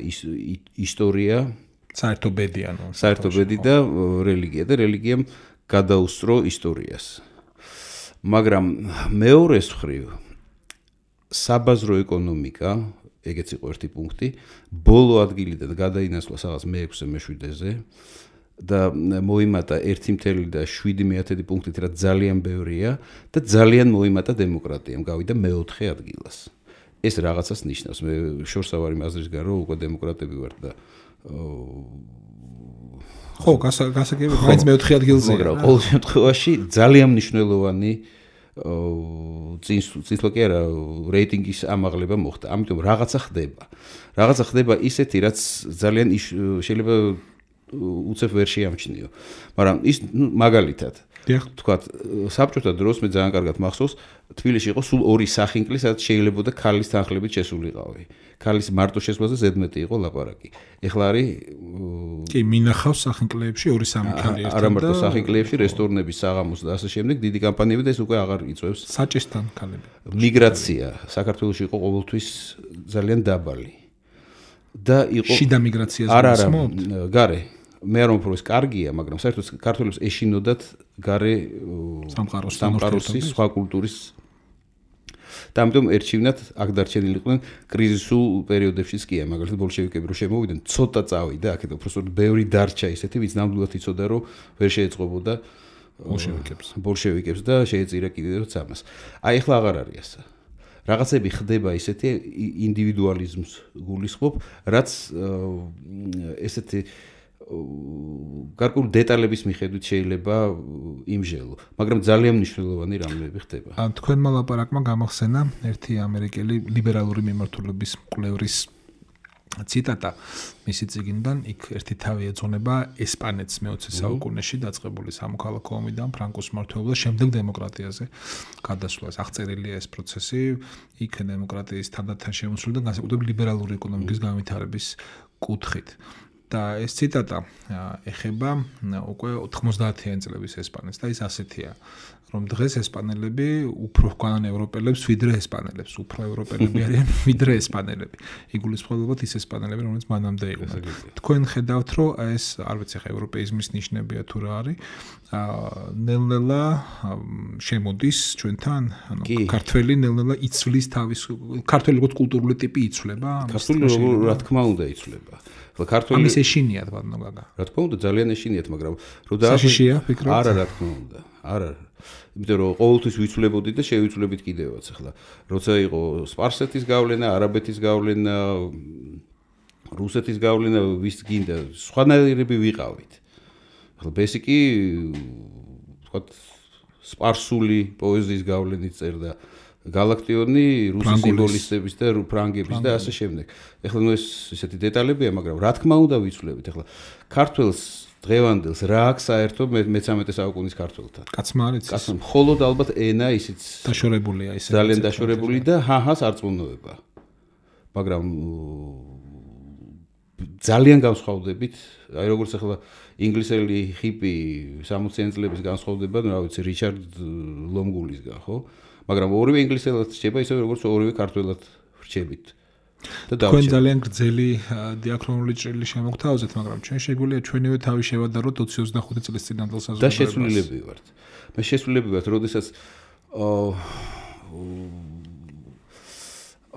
ისტორია, საერთო ბედი, ანუ საერთო ბედი და რელიგია და რელიგიამ გადაუსწრო ისტორიას. მაგრამ მეორეს მხრივ საბაზრო ეკონომიკა, ეგეც იყო ერთი პუნქტი, ბოლო ადგილიდან გადაინაცვლა სადღაც მეექვსე მეშვიდეზე და მოიმატა ერთი წელი შვიდი მეათედი პუნქტით, რაც ძალიან ბევრია და ძალიან მოიმატა დემოკრატიამ, გავიდა მეოთხე ადგილას. ეს რაღაცას ნიშნავს. მე შორსავარი მაზრის გარ რომ უკვე დემოკრატები ვართ და ხო, გასაგებია, მაინც მეოთხე ადგილზეა. მაგრამ ყოველ შემთხვევაში ძალიან მნიშვნელოვანი წინსვლა კი არა, რეიტინგის ამაღლება მოხდა. ამიტომ რაღაცა ხდება. რაღაცა ხდება ისეთი, რაც ძალიან შეიძლება უცებ ვერ შეამჩნიო. მაგრამ ის მაგალითად თქვათ, საბჭოთა დროს მე ძალიან კარგად მახსოვს, თბილისში იყო სულ ორი სახინკლი, სადაც შეიძლებოდა ქალის თანხლებით შესულიყავი. ქალის მარტო შესვლაზე ზედმეტი იყო ლაპარაკი. ეხლა არის კი, მინახავს სახინკლეებში ორი სამი ქალი ერთად და არა მარტო სახინკლეებში, რესტორნების, საღამოს და ასე შემდეგ დიდი კამპანიები და ეს უკვე აღარ იწევს. საჭესთან ქალები. მიგრაცია საქართველოში იყო ყოველთვის ძალიან დაბალი. და იყო შიდა მიგრაციას გასმობთ? გარე. მე არ ვამბობ ეს კარგია, მაგრამ საერთოდ ქართველებს ეშინოდათ გარე სამყაროს, სამყაროსის, სხვა კულტურის და ამიტომ ერჩივნათ აქ დარჩენილიყვნენ კრიზისულ პერიოდებშიც კი, მაგალითად ბოლშევიკები რო შემოვიდნენ, ცოტა წავიდა აქეთ, უბრალოდ ბევრი დარჩა ისეთი, ვინც ნამდვილად იცოდა, რომ ვერ შეეწყობოდა ბოლშევიკებს. ბოლშევიკებს და შეეწირა კიდევ ამას. აი ახლა აღარ არის ასე. რაღაცები ხდება ისეთი ინდივიდუალიზმს გულისხმობ, რაც ესეთი გარკვეული დეტალების მიხედვით შეიძლება იმჟელო, მაგრამ ძალიან მნიშვნელოვანი რამეები ხდება. თქვენმა ლაპარაკმა გამახსენა ერთი ამერიკელი ლიბერალური მიმართულების მკვლევრის ციტატა მისი წიგნიდან, იქ ერთი თავი ეძღვნება ესპანეთს მეოცე საუკუნეში დაწყებული სამოქალაქო ომიდან ფრანკოს მმართველობა შემდეგ დემოკრატიაზე გადასვლას. აღწერილია ეს პროცესი, იქ დემოკრატიის თანდათან შემოსვლიდან განსაკუთრებით ლიბერალური ეკონომიკის განვითარების კუთხით. და ეს ციტატა ეხება უკვე ოთხმოცდაათიანი წლების ესპანეთს და ის ასეთია, რომ დღეს ესპანელები უფრო გვანან ევროპელებს ვიდრე ესპანელებს, უფრო ევროპელები არიან ვიდრე ესპანელები. იგულისხმებათ ის ესპანელები, რომელიც მანამდე იყვნენ. თქვენ ხედავთ, რომ ეს არ ვიცი ხა ევროპეიზმის ნიშნებია თუ რა არის, ნელ-ნელა შემოდის ჩვენთან, ანუ ქართველი ნელ-ნელა იცვლის თავის ქართველი როგორც კულტურული ტიპი იცვლება? ქართული რა თქმა უნდა იცვლება. ქართველი ამის ეშინიათ ბატონო გაგა. რა თქმა უნდა ძალიან ეშინიათ, მაგრამ რო დააშიშია ფიქრობ? არა, რა თქმა უნდა. არა. იმიტომ რომ ყოველთვის ვიცვლებოდით და შევიცვლებით კიდევაც ახლა. როცა იყო სპარსეთის გავლენა, არაბეთის გავლენა, რუსეთის გავლენა, ვის გინდა, სხვანაირები ვიყავით. ახლა ბესიკი ვთქვათ სპარსული პოეზიის გავლენით წერდა გალაქტიონი რუსი სიმბოლისტების და ფრანგების და ასე შემდეგ. ეხლა ნუ ეს ისეთი დეტალებია, მაგრამ რა თქმა უნდა ვიცვლებით. ეხლა ქართველს დღევანდელს რა აქვს საერთო მეთერთმეტე საუკუნის ქართველთან? კაცმა არის? კაცმა მხოლოდ ალბათ ენა ისიც დაშორებულია ისე. ძალიან დაშორებული და ჰაჰას არწმუნოება. მაგრამ ძალიან განსხვავდებით, აი როგორც ახლა ინგლისელი ჰიპი სამოციანი წლების განსხვავდება, რა ვიცი, რიჩარდ ლომგულისგან, ხო? მაგრამ ორივე ინგლისელად რჩება ისე როგორც ორივე ქართველად რჩებით. და თქვენ ძალიან გრძელი დიაქრონული ჭრილი შემოგთავაზეთ, მაგრამ ჩვენ შეგვიძლია ჩვენივე თავი შევადაროთ ოცი ოცდახუთი წლის წინანდელ საზოგადოებას. და შეცვლილები ვართ. მე შეცვლილები ვართ, როდესაც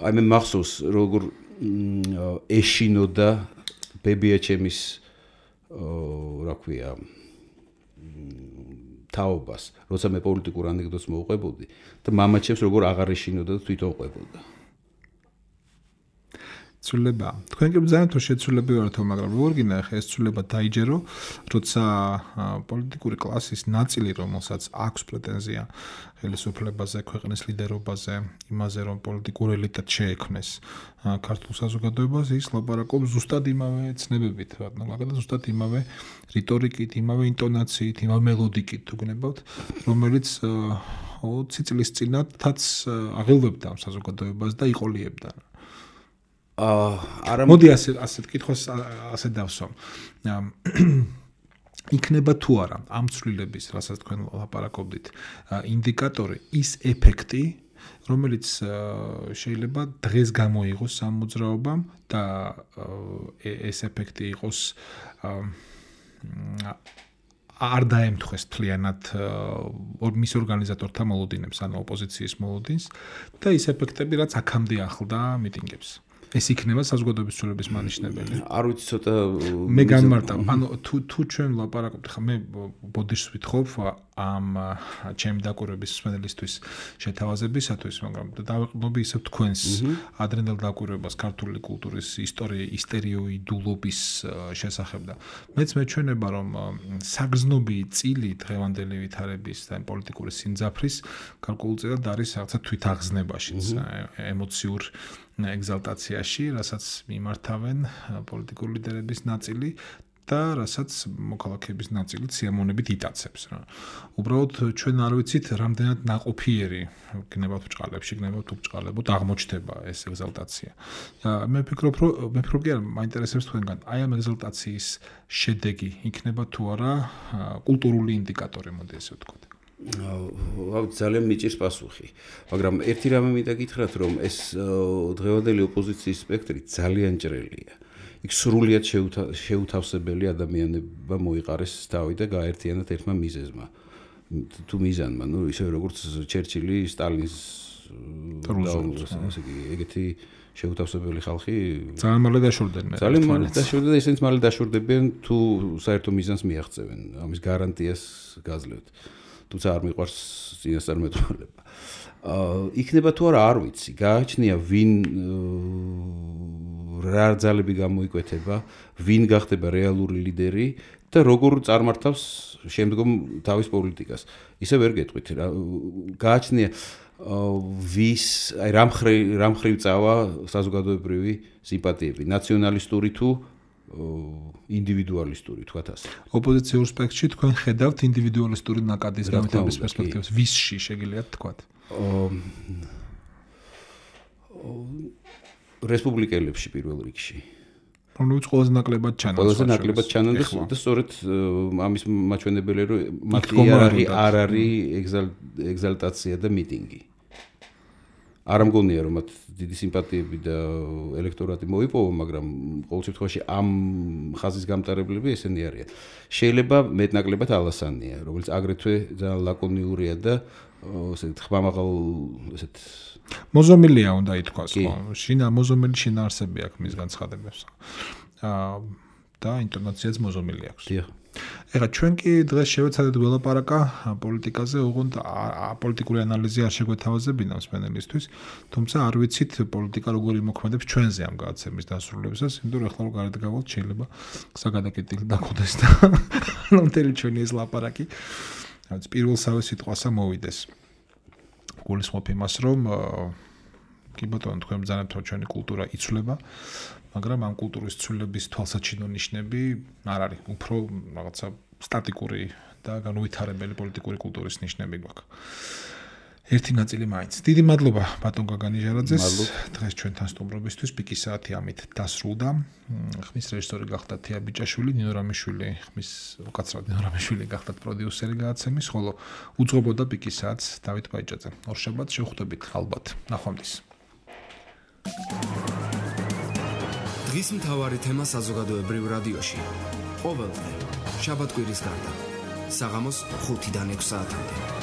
აი მე მახსოვს როგორ ეშინოდა ბებია ჩემის რა ქვია თაობას, როცა მე პოლიტიკურ ანეკდოტს მოვყვებოდი და მამაჩემს როგორ აღარ ეშინოდა და თვითონ ყვებოდა. ცვლილება. თქვენ კი ბრძანეთ რომ შეცვლილები ვართ, მაგრამ როგორ გინდა ხა ეს ცვლილება დაიჯერო, როცა პოლიტიკური კლასის ნაწილი, რომელსაც აქვს პრეტენზია ხელისუფლებაზე, ქვეყნის ლიდერობაზე, იმაზე რომ პოლიტიკურ ელიტად შეექმნეს ქართულ საზოგადოებას, ის ლაპარაკობს ზუსტად იმავე ცნებებით, მაგრამ ზუსტად იმავე რიტორიკით, იმავე ინტონაციით, იმავე მელოდიკით თუ გნებავთ, რომელიც ოცი წლის წინათაც აღელვებდა ამ საზოგადოებას და იყოლიებდა. აა არა მოდი ასე ასეთ კითხვას ასე დავსვამ. იქნება თუ არა ამ ცვლილების, რასაც თქვენ ლაპარაკობდით, ინდიკატორი ის ეფექტი, რომელიც შეიძლება დღეს გამოიღოს ამ მოძრაობამ და ეს ეფექტი იყოს არ დაემთხეს თლიანად მის ორგანიზატორთა მოლოდინებს, ანუ ოპოზიციის მოლოდინს და ის ეფექტები, რაც აქამდე ახლდა მიტინგებს. ეს იქნება საზოგადოების ცვლილების მანიშნებელი. არ ვიცი ცოტა მე გამარტავ, ანუ თუ თუ ჩვენ ლაპარაკობთ, ხა მე ბოდიშს ვითხოვ ამ ჩემი დაკვირვების მსმენელისთვის შეთავაზებისათვის, მაგრამ დავეყნობი ისევ თქვენს ადრინდელ დაკვირვებას ქართული კულტურის ისტორიის ისტერიოიდულობის შესახებ და მეც მეჩვენება რომ საგრძნობი წილი დღევანდელი ვითარების და პოლიტიკური სიმძაფრის გარკვეულწილად არის რაღაცა თვითაღზნებაშიც, ემოციურ ეგზალტაციაში, რასაც მიმართავენ პოლიტიკური ლიდერების ნაწილი და რასაც მოქალაქეების ნაწილი სიამოვნებით იტაცებს რა. უბრალოდ ჩვენ არ ვიცით რამდენად ნაყოფიერი გნებავთ ბჭყალებში, გნებავთ ბჭყალებოთ აღმოჩნდება ეს ეგზალტაცია. მე ვფიქრობ, რომ მე ვფიქრობ, კი არა, მაინტერესებს თქვენგან, აი ამ ეგზალტაციის შედეგი იქნება თუ არა კულტურული ინდიკატორი, მოდი ესე ვთქვათ. აუ ძალიან მიჭირს პასუხი, მაგრამ ერთი რამე მინდა გითხრათ, რომ ეს დღევანდელი ოპოზიციის სპექტრი ძალიან ჭრელია. იქ სრულიად შეუთავსებელი ადამიანება მოიყარეს თავი და გაერთიანათ ერთმა მიზეზმა. თუ მიზანმა, ну, ისე როგორც ჩერჩილი, სტალინს ასე იგი, ეგეთი შეუთავსებელი ხალხი ძალიან მალე დაშორდნენ. ძალიან მალე დაშორდნენ და ისინიც მალე დაშორდებიან თუ საერთო მიზანს მიაღწევენ. ამის გარანტიას გაძლევთ. თუმცა არ მიყვარს წინასწარმეტყველება. აა იქნება თუ არა არ ვიცი. გააჩნია ვინ რა ძალები გამოიკვეთება, ვინ გახდება რეალური ლიდერი და როგორ წარმართავს შემდგომ თავის პოლიტიკას. ისე ვერ გეტყვით რა. გააჩნია ვის, აი რამ ხრი რამ ხრივ წავა საზოგადოებრივი სიმპათიები, ნაციონალისტური თუ ინდივიდუალისტური, თქვათ ასე. ოპოზიციურ სპექტრში თქვენ ხედავთ ინდივიდუალისტური ნაკადის გამიტების პერსპექტივას. ვისში შეგიძლიათ თქვათ? რესპუბლიკელებში პირველ რიგში. რომლებიც ყველაზე ნაკლებად ჩანან. ყველაზე ნაკლებად ჩანან და სწორედ ამის მაჩვენებელია, რომ მათი იარაღი არ არის ეგზალტაცია და მიტინგი. არ ამგონია რომ მათ დიდი სიმპათიები და ელექტორატი მოიპოვა, მაგრამ ყოველ შემთხვევაში ამ ხაზის გამტარებლები ესენი არიან. შეიძლება მეტნაკლებად ალასანია, რომელიც აგრეთვე ძალიან ლაკონიურია და ესე ხმამაღალ ესეთ მოზომილია უნდა ითქვას, ხო? შინა მოზომილი შინაარსები აქვს მის განცხადებებს. აა და ინტონაციაც მოზომილი აქვს. დიახ. ეხლა ჩვენ კი დღეს შევეცადეთ ველაპარაკა პოლიტიკაზე, ოღონდ პოლიტიკური ანალიზი არ შეგვეთავაზებინა მსმენელისთვის, თუმცა არ ვიცით პოლიტიკა როგორ იმოქმედებს ჩვენზე ამ გადაცემის დასრულებისას, იმიტომ რომ ეხლა რო გარეთ გავალთ, შეიძლება საგადაკეტილი დაგხვდეს და ნამდვილი ჩვენი ეს ლაპარაკი რაც პირველსავე სიტყვასა მოვიდეს. გულისხმობ იმას, რომ კი ბატონო, თქვენ ბრძანებთ, რომ ჩვენი კულტურა იცვლება, მაგრამ ამ კულტურის ცვლილების თვალსაჩინო ნიშნები არ არის. უფრო რაღაცა სტატიკური და განუვითარებელი პოლიტიკური კულტურის ნიშნები გვაქვს. ერთი ნაწილი მაინც. დიდი მადლობა ბატონ გაგანიჟარაძეს. დღეს ჩვენთან სტუმრობისთვის პიკის საათი ამით დასრულდა. ხმის რეჟისორი გახდა თია ბიჭაშვილი, ნინო რამიშვილი, ხმის უკაცრავად ნინო რამიშვილი გახდათ პროდიუსერი გადაცემის, ხოლო უძღვებოდა პიკის საათს დავით ბაიჭაძე. ორშაბათს შევხვდებით ალბათ. ნახვამდის. დღის მთავარი თემა საზოგადოებრივ რადიოში. ყოველდღე შაბათ-კვირის გარდა საღამოს ხუთიდან ექვს საათამდე.